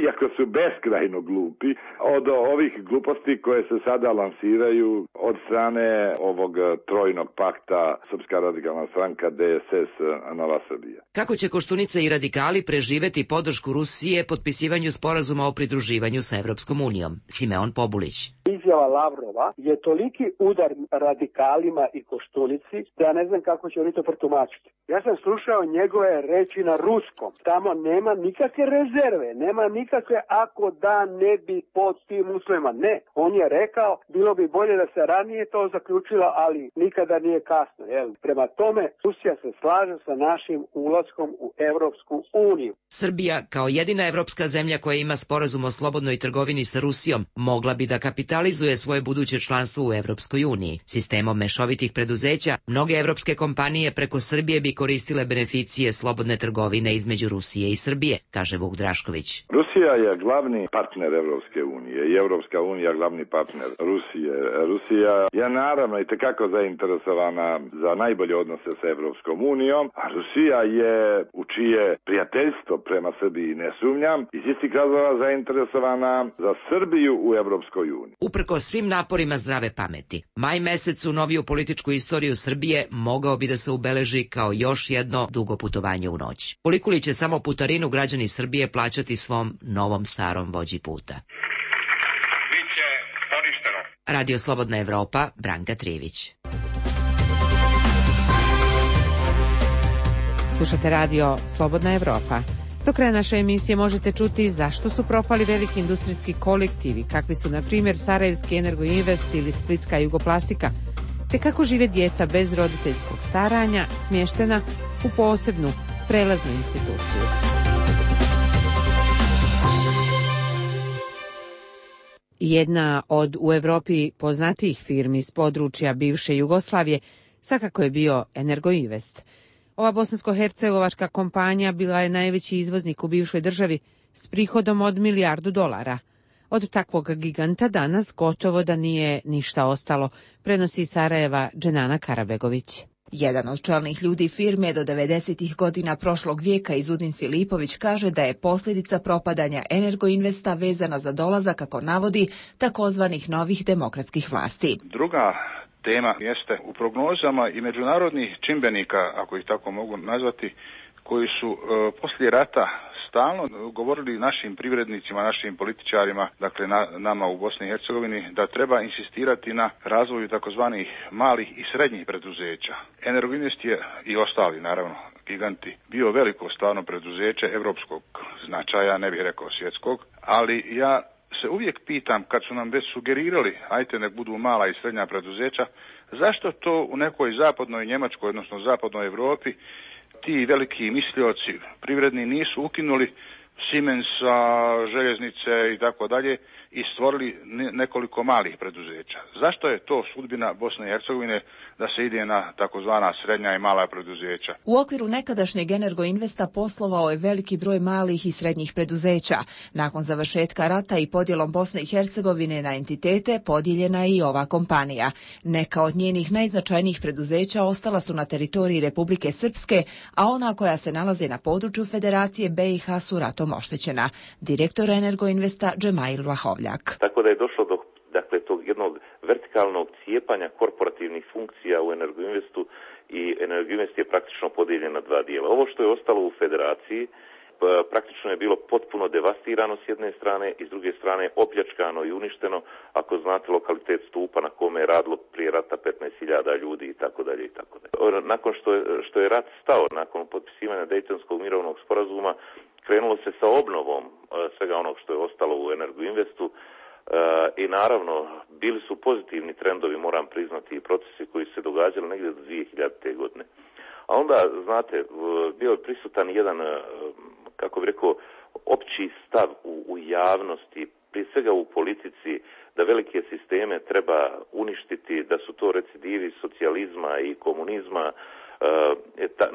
iako su beskrajno glupi, od ovih gluposti koje se sada lansiraju od strane ovog trojnog pakta Srpska radikalna stranka, D S S, Nova Srbija. Kako će Koštunica i radikali preživeti podršku Rusije potpisivanju sporazuma o pridruživanju sa Evropskom unijom? Simeon Pobulić. Izjava Lavrova je toliki udar radikalima i Koštunici da ja ne znam kako će oni to protumačiti. Ja sam slušao njegove reči na ruskom. Tamo nema nikakve rezerve, nema nikakve ako da ne bi pod tim uslovima. Ne, on je rekao bilo bi bolje da se ranije to zaključilo, ali nikada nije kasno. Jel? Prema tome, Rusija se slaže sa našim ulaskom u Evropsku uniju. Srbija, kao jedina evropska zemlja koja ima sporazum o slobodnoj trgovini sa Rusijom, mogla bi da kapitalizuje svoje buduće članstvo u Evropskoj uniji. Sistemom mešovitih preduzeća, mnoge evropske kompanije preko Srbije bi koristile beneficije slobodne trgovine između Rusije i Srbije, kaže Vuk Drašković. Rusija je glavni partner Evropske unije i Evropska unija glavni partner Rusije. Rusija je naravno i tekako zainteresovana za najbolje odnose sa Evropskom unijom, a Rusija je, u čije prijateljstvo prema Srbiji ne sumnjam, iz istih razloga zainteresovana za Srbiju u Evropskoj uniji. Uprko svim naporima zdrave pameti, maj mesec u noviju političku istoriju Srbije mogao bi da se ubeleži kao još jedno dugo putovanje u noć. Koliko li će samo putarinu građani Srbije plaćati svom novom starom vođi puta? Biće poništeno. Radio Slobodna Evropa, Branka Trivić. Slušate radio Slobodna Evropa. Do kraja naše emisije možete čuti zašto su propali veliki industrijski kolektivi, kakvi su na primjer Sarajevski Energoinvest ili Splitska Jugoplastika, te kako žive djeca bez roditeljskog staranja, smještena u posebnu prelaznu instituciju. Jedna od u Evropi poznatijih firmi iz područja bivše Jugoslavije svakako je bio Energoinvest. Ova bosansko-hercegovačka kompanija bila je najveći izvoznik u bivšoj državi s prihodom od milijardu dolara. Od takvog giganta danas gotovo da nije ništa ostalo, prenosi iz Sarajeva Dženana Karabegović. Jedan od čelnih ljudi firme do devedesetih godina prošlog vijeka, Izudin Filipović, kaže da je posljedica propadanja Energoinvesta vezana za dolazak, kako navodi, takozvanih novih demokratskih vlasti. Druga tema jeste u prognozama i međunarodnih čimbenika, ako ih tako mogu nazvati, koji su e, poslije rata stalno govorili našim privrednicima, našim političarima, dakle na, nama u Bosni i Hercegovini, da treba insistirati na razvoju takozvanih malih i srednjih preduzeća. Energoinvest je i ostali, naravno, giganti, bio veliko stvarno preduzeće evropskog značaja, ne bih rekao svjetskog, ali ja se uvijek pitam, kad su nam već sugerirali, ajte nek budu mala i srednja preduzeća, zašto to u nekoj zapadnoj Njemačkoj, odnosno zapadnoj Europi, ti veliki mislioci privredni nisu ukinuli Siemensa, željeznice i tako dalje i stvorili nekoliko malih preduzeća. Zašto je to sudbina Bosne i Hercegovine da se ide na takozvana srednja i mala preduzeća? U okviru nekadašnjeg Energoinvesta poslovao je veliki broj malih i srednjih preduzeća. Nakon završetka rata i podjelom Bosne i Hercegovine na entitete podijeljena je i ova kompanija. Neka od njenih najznačajnijih preduzeća ostala su na teritoriji Republike Srpske, a ona koja se nalaze na području Federacije B i H su ratom oštećena. Direktor Energoinvesta Džemail Vlahovljak. Tako da je došlo do dakle, tog jednog vertikalnog cijepanja korporativnih funkcija u Energoinvestu i Energoinvest je praktično podijeljen na dva dijela. Ovo što je ostalo u Federaciji praktično je bilo potpuno devastirano s jedne strane i s druge strane opljačkano i uništeno, ako znate lokalitet Stupa na kome je radilo prije rata petnaest hiljada ljudi i tako dalje i tako dalje. Nakon što je, što je rat stao, nakon potpisivanja Dejtonskog mirovnog sporazuma, krenulo se sa obnovom svega onog što je ostalo u Energoinvestu i naravno bili su pozitivni trendovi, moram priznati, i procesi koji su se događali negdje do dvije hiljadite. godine. A onda, znate, bio je prisutan jedan, kako bih rekao, opći stav u, u javnosti, prije svega u politici, da velike sisteme treba uništiti, da su to recidivi socijalizma i komunizma.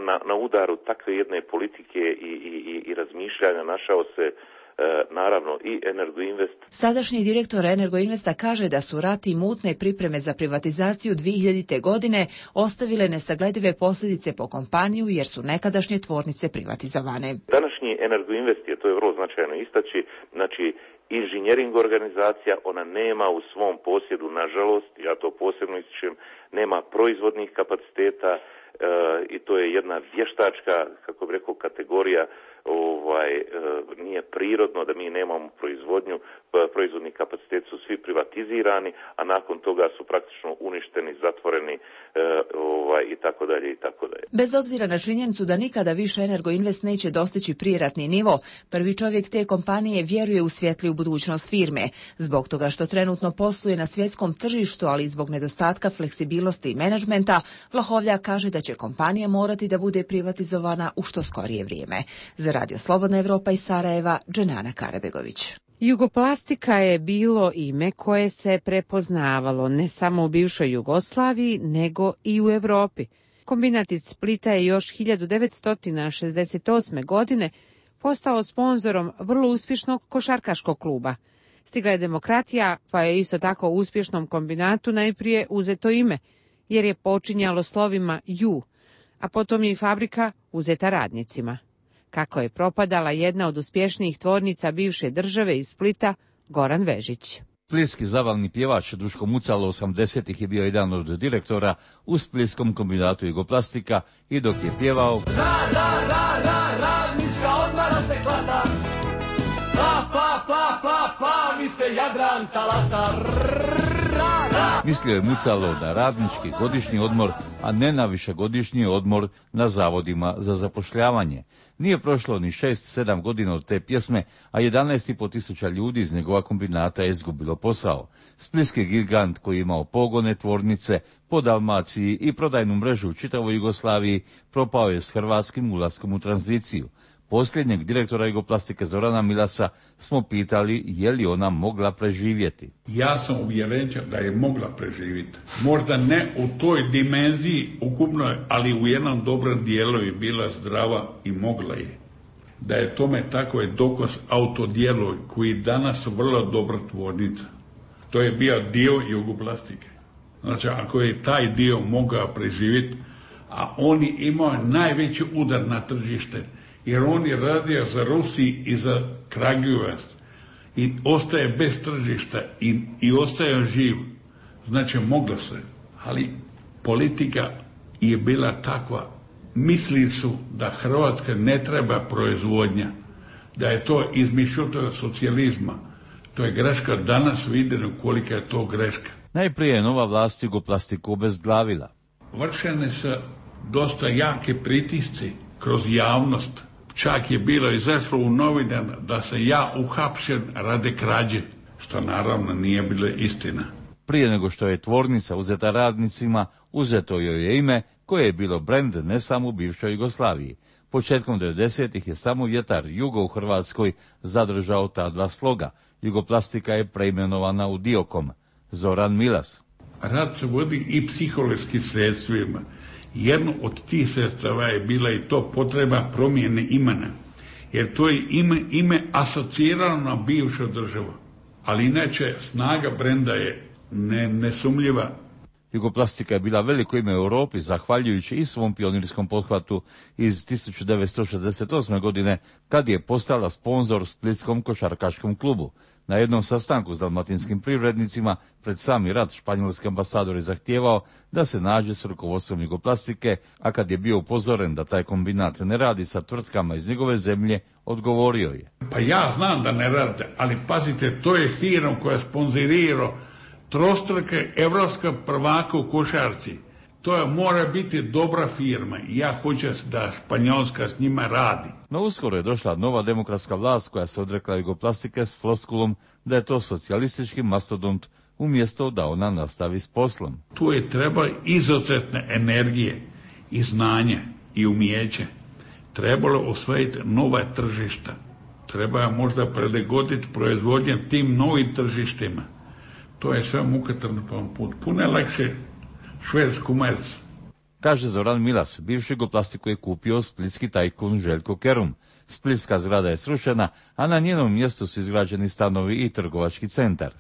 Na, na udaru takve jedne politike i, i, i razmišljanja našao se naravno i Energoinvest. Sadašnji direktor Energoinvesta kaže da su rat i mutne pripreme za privatizaciju dvije hiljadite. godine ostavile nesagledive posljedice po kompaniju jer su nekadašnje tvornice privatizovane. Današnji Energoinvest je, to je vrlo značajno istaći, znači inženjering organizacija, ona nema u svom posjedu, nažalost, ja to posebno ističem, nema proizvodnih kapaciteta, E, i to je jedna vještačka, kako bih rekao, kategorija, ovaj, e, nije prirodno da mi nemamo proizvodnju, proizvodni kapacitet su svi privatizirani, a nakon toga su praktično uništeni, zatvoreni, e, ovaj, i tako dalje i tako dalje. Bez obzira na činjenicu da nikada više Energoinvest neće dostići prijeratni nivo, prvi čovjek te kompanije vjeruje u svjetliju budućnost firme. Zbog toga što trenutno posluje na svjetskom tržištu, ali i zbog nedostatka fleksibilnosti i menadžmenta, Vlahovljak kaže da će kompanija morati da bude privatizovana u što skorije vrijeme. Za Radio Slobodna Evropa iz Sarajeva, Dženana Karabegović. Jugoplastika je bilo ime koje se prepoznavalo ne samo u bivšoj Jugoslaviji, nego i u Evropi. Kombinat iz Splita je još hiljadu devetsto šezdeset osme. godine postao sponzorom vrlo uspješnog košarkaškog kluba. Stigla je demokratija, pa je isto tako uspješnom kombinatu najprije uzeto ime, jer je počinjalo slovima ju, a potom je i fabrika uzeta radnicima. Kako je propadala jedna od uspješnijih tvornica bivše države iz Splita, Goran Vežić. Splitski zabavni pjevač Duško Mucalo osamdesetih je bio jedan od direktora u Splitskom kombinatu Jugoplastika i dok je pjevao Ra, ra, ra, ra, radnička odmara se klasa, pa, pa, pa, pa, pa, mi se Jadran talasa. Mislio je Mucalo na radnički godišnji odmor, a ne na višegodišnji odmor na zavodima za zapošljavanje. Nije prošlo ni šest sedam godina od te pjesme, a jedanaest i pol tisuća ljudi iz njegova kombinata je izgubilo posao. Splitski gigant koji je imao pogone, tvornice po Dalmaciji i prodajnu mrežu u čitavoj Jugoslaviji propao je s hrvatskim ulaskom u tranziciju. Posljednjeg direktora Jugoplastike Zorana Milasa smo pitali je li ona mogla preživjeti. Ja sam uvjeren da je mogla preživjeti. Možda ne u toj dimenziji ukupnoj, ali u jednom dobrom dijelu je bila zdrava i mogla je. Da je tome tako je dokaz Autodjeloj koji danas vrlo dobra tvornica. To je bio dio Jugoplastike. Znači ako je taj dio mogao preživjeti, a oni imaju najveći udar na tržište, jer on je radio za Rusiji i za Kragujevac i ostaje bez tržišta i, i ostaje živ. Znači moglo se, ali politika je bila takva. Mislili su da Hrvatska ne treba proizvodnja, da je to izmišljotina socijalizma. To je greška, danas vidimo kolika je to greška. Najprije je nova vlast Jugoplastiku obezglavila. Vršene su dosta jake pritisci kroz javnost. Čak je bilo izašlo u novinama da se ja uhapšen radi krađe, što naravno nije bila istina. Prije nego što je tvornica uzeta radnicima, uzeto joj je ime koje je bilo brend ne samo u bivšoj Jugoslaviji. Početkom devedesetih je samo vjetar Jugo u Hrvatskoj zadržao ta dva sloga. Jugoplastika je preimenovana u Diokom. Zoran Milas. Rad se vodi i psihološkim sredstvima. Jedno od tih sredstava je bila i to potreba promjene imena. Jer to je ime, ime asocirano na bivšu državu. Ali inače snaga brenda je ne, nesumljiva. Jugoplastika je bila veliko ime u Europi, zahvaljujući i svom pionirskom pothvatu iz tisuću devetsto šezdeset osme. godine, kad je postala sponzor Splitskom košarkaškom klubu. Na jednom sastanku s dalmatinskim privrednicima pred sami rat španjolski ambasador je zahtijevao da se nađe s rukovodstvom Jugoplastike, a kad je bio upozoren da taj kombinat ne radi sa tvrtkama iz njegove zemlje, odgovorio je. Pa ja znam da ne radite, ali pazite, to je firma koja sponzorirao trostruke evropska prvaka u košarci. To je, mora biti dobra firma i ja hoću da Španjolska s njima radi. No uskoro je došla nova demokratska vlast koja se odrekla Jugoplastike s floskulom da je to socijalistički mastodont umjesto da ona nastavi s poslom. Tu je treba izuzetne energije i znanja i umijeće. Trebalo osvojiti nova tržišta. Treba možda prilagoditi proizvodnje tim novim tržištima. To je sve mukotrpan put. Puno je lakše švedsku merc. Kaže Zoran Milas, bivši Jugoplastiku je kupio splitski tajkun Željko Kerum. Splitska zgrada je srušena, a na njenom mjestu su izgrađeni stanovi i trgovački centar.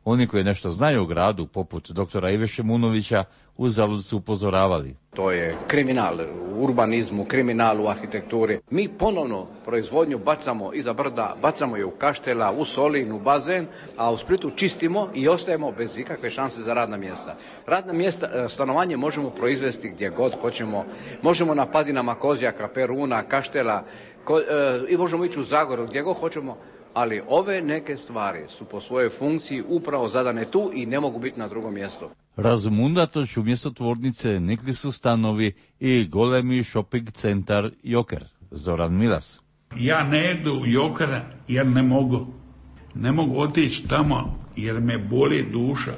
Oni koji nešto znaju o gradu, poput doktora Ive Šimunovića, uzalud su upozoravali. To je kriminal u urbanizmu, kriminal u arhitekturi. Mi ponovno proizvodnju bacamo iza brda, bacamo je u Kaštela, u Solin, u bazen, a u Splitu čistimo i ostajemo bez ikakve šanse za radna mjesta. Radna mjesta, stanovanje možemo proizvesti gdje god hoćemo. Možemo na padinama Kozjaka, Peruna, Kaštela ko, e, i možemo ići u Zagoru gdje god hoćemo. Ali ove neke stvari su po svojoj funkciji upravo zadane tu i ne mogu biti na drugom mjestu. Razum unatoč umjesto tvornice nikli su stanovi i golemi shopping centar Joker. Zoran Milas. Ja ne idu u Jokera jer ne mogu. Ne mogu otići tamo jer me boli duša.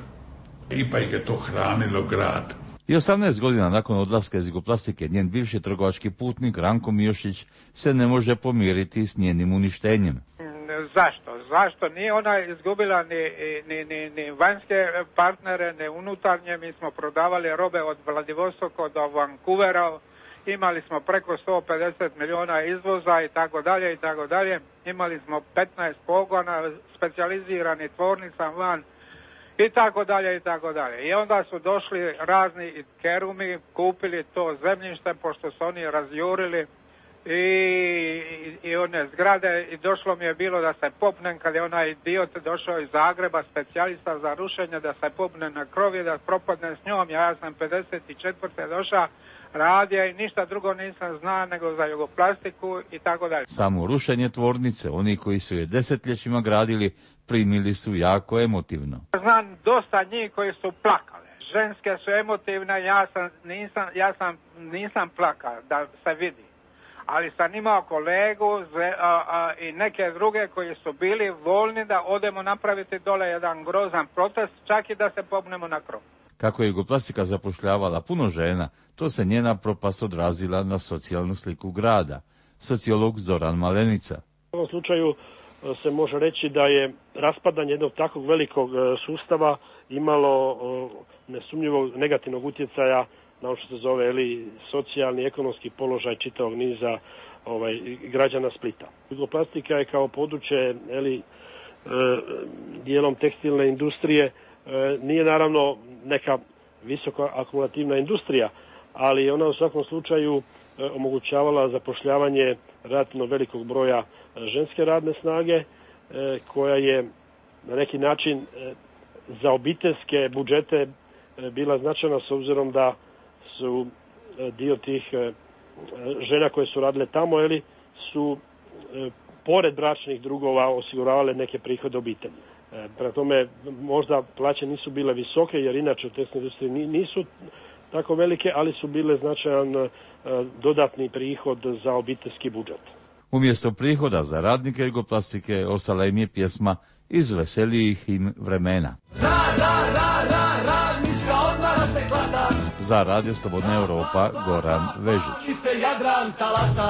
Ipak je to hranilo grad. I osamnaest godina nakon odlaska iz Jugoplastike, njen bivši trgovački putnik Ranko Mijošić se ne može pomiriti s njenim uništenjem. Zašto? Zašto? Nije ona izgubila ni, ni, ni, ni vanjske partnere, ni unutarnje. Mi smo prodavali robe od Vladivostoka do Vancouvera, imali smo preko sto pedeset milijuna izvoza i tako dalje i tako dalje. Imali smo petnaest pogona, specijalizirani tvornica van i tako dalje i tako dalje. I onda su došli razni Kerumi, kupili to zemljište pošto su oni razjurili I, i, i one zgrade i došlo mi je bilo da se popnem kad je onaj idiot došao iz Zagreba, specijalista za rušenje, da se popne na krovi, da propadne s njom. Ja sam pedeset četvrte došao, radio i ništa drugo nisam znao nego za Jugoplastiku i tako dalje. Samo rušenje tvornice, oni koji su je desetljećima gradili, primili su jako emotivno. Znam dosta njih koji su plakale. Ženske su emotivne, ja sam nisam, ja sam, nisam plakao, da se vidi. Ali sam imao kolegu a, a, i neke druge koji su bili voljni da odemo napraviti dole jedan grozan protest, čak i da se popnemo na krov. Kako je Jugoplastika zapošljavala puno žena, to se njena propast odrazila na socijalnu sliku grada. Sociolog Zoran Malenica. U ovom slučaju se može reći da je raspadanje jednog takvog velikog sustava imalo nesumnjivog negativnog utjecaja na ono što se zove eli, socijalni, ekonomski položaj čitavog niza ovaj, građana Splita. Jugoplastika je kao područje eli, e, dijelom tekstilne industrije, e, nije naravno neka visoko akumulativna industrija, ali ona u svakom slučaju e, omogućavala zapošljavanje relativno velikog broja ženske radne snage, e, koja je na neki način e, za obiteljske budžete e, bila značajna s obzirom da su dio tih žena koje su radile tamo, eli, su pored bračnih drugova osiguravale neke prihode obitelji. Prema tome, možda plaće nisu bile visoke, jer inače u tekstilnoj industriji nisu tako velike, ali su bile značajan dodatni prihod za obiteljski budžet. Umjesto prihoda za radnike Jugoplastike ostala im je pjesma iz veselijih im vremena. Ra, ra, ra, ra, radnička odmara se klasa. Za Radio Slobodna Europa, Goran Vežić. Mi se Jadran Jadran talasa.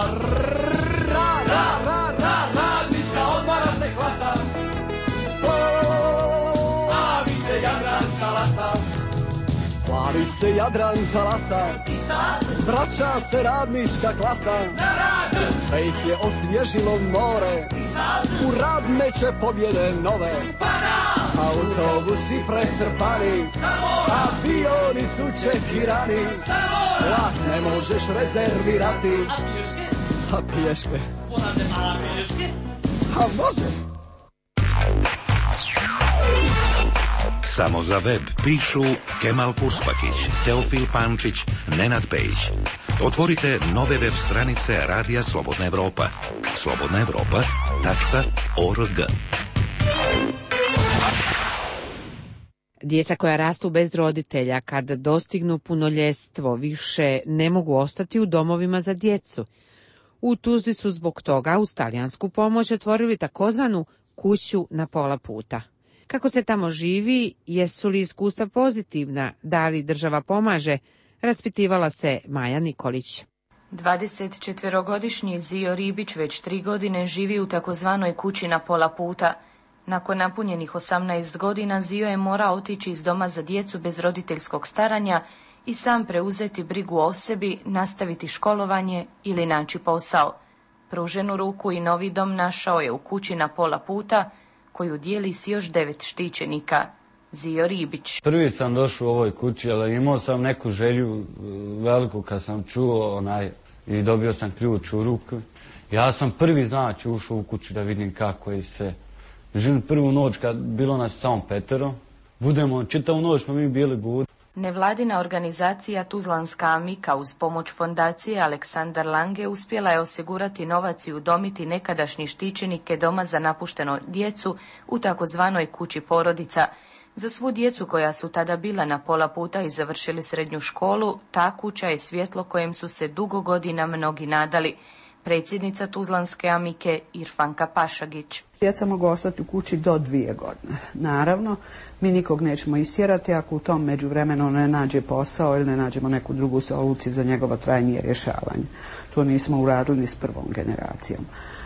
Ra, ra, ra, ra, radnička odmara se klasa. Plavi se Jadran talasa. Plavi se Jadran talasa. Vraća se radnička klasa. Sve ih je osvježilo more. U radneće pobjede nove. Autobusi pretrpani, avioni su čekirani. Vlak ne možeš rezervirati. A piješke? A piješke? Ponavljam, a piješke? A može? Samo za web pišu Kemal Puspakić, Teofil Pančić, Nenad Pejić. Otvorite nove web stranice Radija Slobodna Evropa. slobodna evropa tačka org. Djeca koja rastu bez roditelja kad dostignu punoljetstvo više ne mogu ostati u domovima za djecu. U Tuzli su zbog toga uz talijansku pomoć otvorili takozvanu kuću na pola puta. Kako se tamo živi, jesu li iskustva pozitivna, da li država pomaže, raspitivala se Maja Nikolić. dvadesetčetverogodišnji Zio Ribić već tri godine živi u takozvanoj kući na pola puta. Nakon napunjenih osamnaest godina Zio je morao otići iz doma za djecu bez roditeljskog staranja i sam preuzeti brigu o sebi, nastaviti školovanje ili naći posao. Pruženu ruku i novi dom našao je u kući na pola puta, koju dijeli s još devet štićenika. Zio Ribić. Prvi sam došao u ovoj kući, ali imao sam neku želju veliku kad sam čuo onaj i dobio sam ključ u ruku. Ja sam prvi znači ušao u kuću da vidim kako je sve. Međutim, prvu noć kad bilo nas samo petero, budemo, čitavu noć smo mi bili budi. Nevladina organizacija Tuzlanska Amika uz pomoć fondacije Aleksandar Lange uspjela je osigurati novac i udomiti nekadašnji štićenike doma za napušteno djecu u takozvanoj kući porodica. Za svu djecu koja su tada bila na pola puta i završili srednju školu, ta kuća je svjetlo kojem su se dugo godina mnogi nadali. Predsjednica Tuzlanske Amike Irfanka Pašagić. Djeca mogu ostati u kući do dvije godine. Naravno, mi nikog nećemo istjerati ako u tom međuvremenu ne nađe posao ili ne nađemo neku drugu soluciju za njegovo trajnije rješavanje. To nismo uradili ni s prvom generacijom.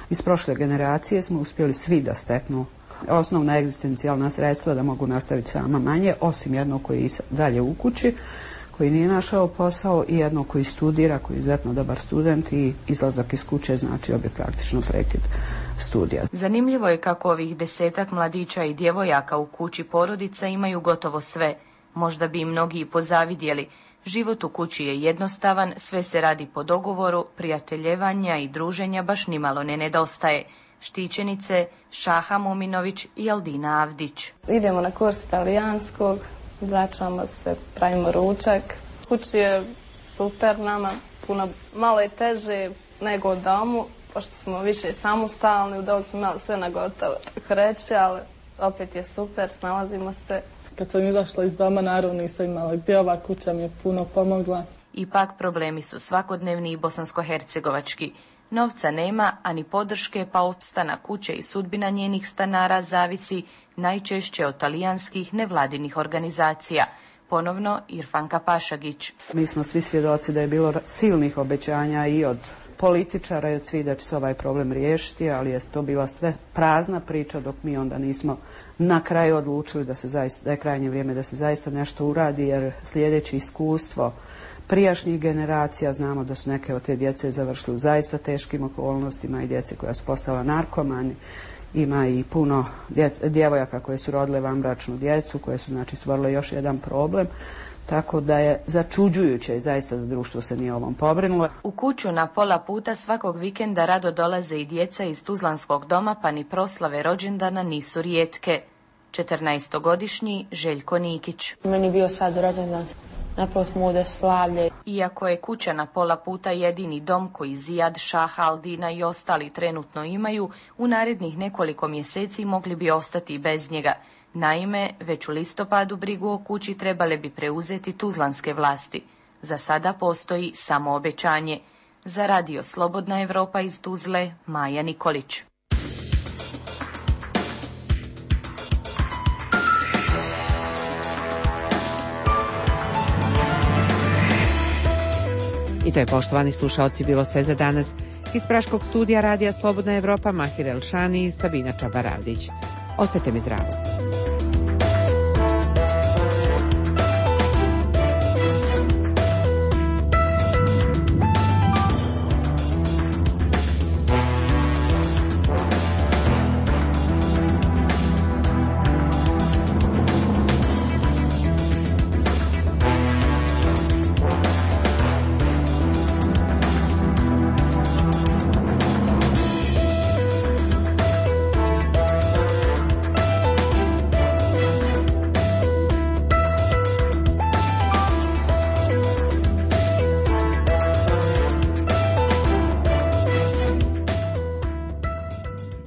Iz prošle generacije smo uspjeli svi da steknu osnovna egzistencijalna sredstva da mogu nastaviti sama manje, osim jednog koji je dalje u kući, koji nije našao posao i jedno koji studira, koji je izuzetno dobar student i izlazak iz kuće znači obje praktično prekid studija. Zanimljivo je kako ovih desetak mladića i djevojaka u kući porodica imaju gotovo sve. Možda bi im mnogi i pozavidjeli. Život u kući je jednostavan, sve se radi po dogovoru, prijateljevanja i druženja baš nimalo ne nedostaje. Štićenice Šaha Muminović i Aldina Avdić. Idemo na kurs talijanskog, vraćamo se, pravimo ručak. Kući je super nama, puno, malo je teže nego u domu, pošto smo više samostalni, u domu smo imali sve na gotovo, tako reći, ali opet je super, snalazimo se. Kad sam izašla iz doma, naravno nisam imala gdje, ova kuća mi je puno pomogla. Ipak problemi su svakodnevni i bosansko-hercegovački. Novca nema, ani podrške, pa opstanak kuće i sudbina njenih stanara zavisi najčešće od talijanskih nevladinih organizacija. Ponovno Irfanka Pašagić. Mi smo svi svjedoci da je bilo silnih obećanja i od političara i od svih da će se ovaj problem riješiti, ali je to bila sve prazna priča dok mi onda nismo na kraju odlučili da, se zaista, da je krajnje vrijeme da se zaista nešto uradi, jer slijedeći iskustvo prijašnjih generacija znamo da su neke od te djece završile u zaista teškim okolnostima i djece koja su postala narkomani. Ima i puno djece, djevojaka koje su rodile vanbračnu djecu, koje su znači stvorile još jedan problem. Tako da je začuđujuće i zaista da društvo se nije ovom pobrinulo. U kuću na pola puta svakog vikenda rado dolaze i djeca iz Tuzlanskog doma, pa ni proslave rođendana nisu rijetke. četrnaestogodišnji Željko Nikić. Meni bio sad rođendan, napravo smo ovdje slavlje. Iako je kuća na pola puta jedini dom koji Zijad, Šaha, Aldina i ostali trenutno imaju, u narednih nekoliko mjeseci mogli bi ostati bez njega. Naime, već u listopadu brigu o kući trebale bi preuzeti tuzlanske vlasti. Za sada postoji samo obećanje. Za Radio Slobodna Evropa iz Tuzle, Maja Nikolić. I To je, poštovani slušaoci, bilo sve za danas. Iz Praškog studija Radija Slobodna Evropa, Mahir Elšani i Sabina Čabaravdić. Ostajte mi zdravo.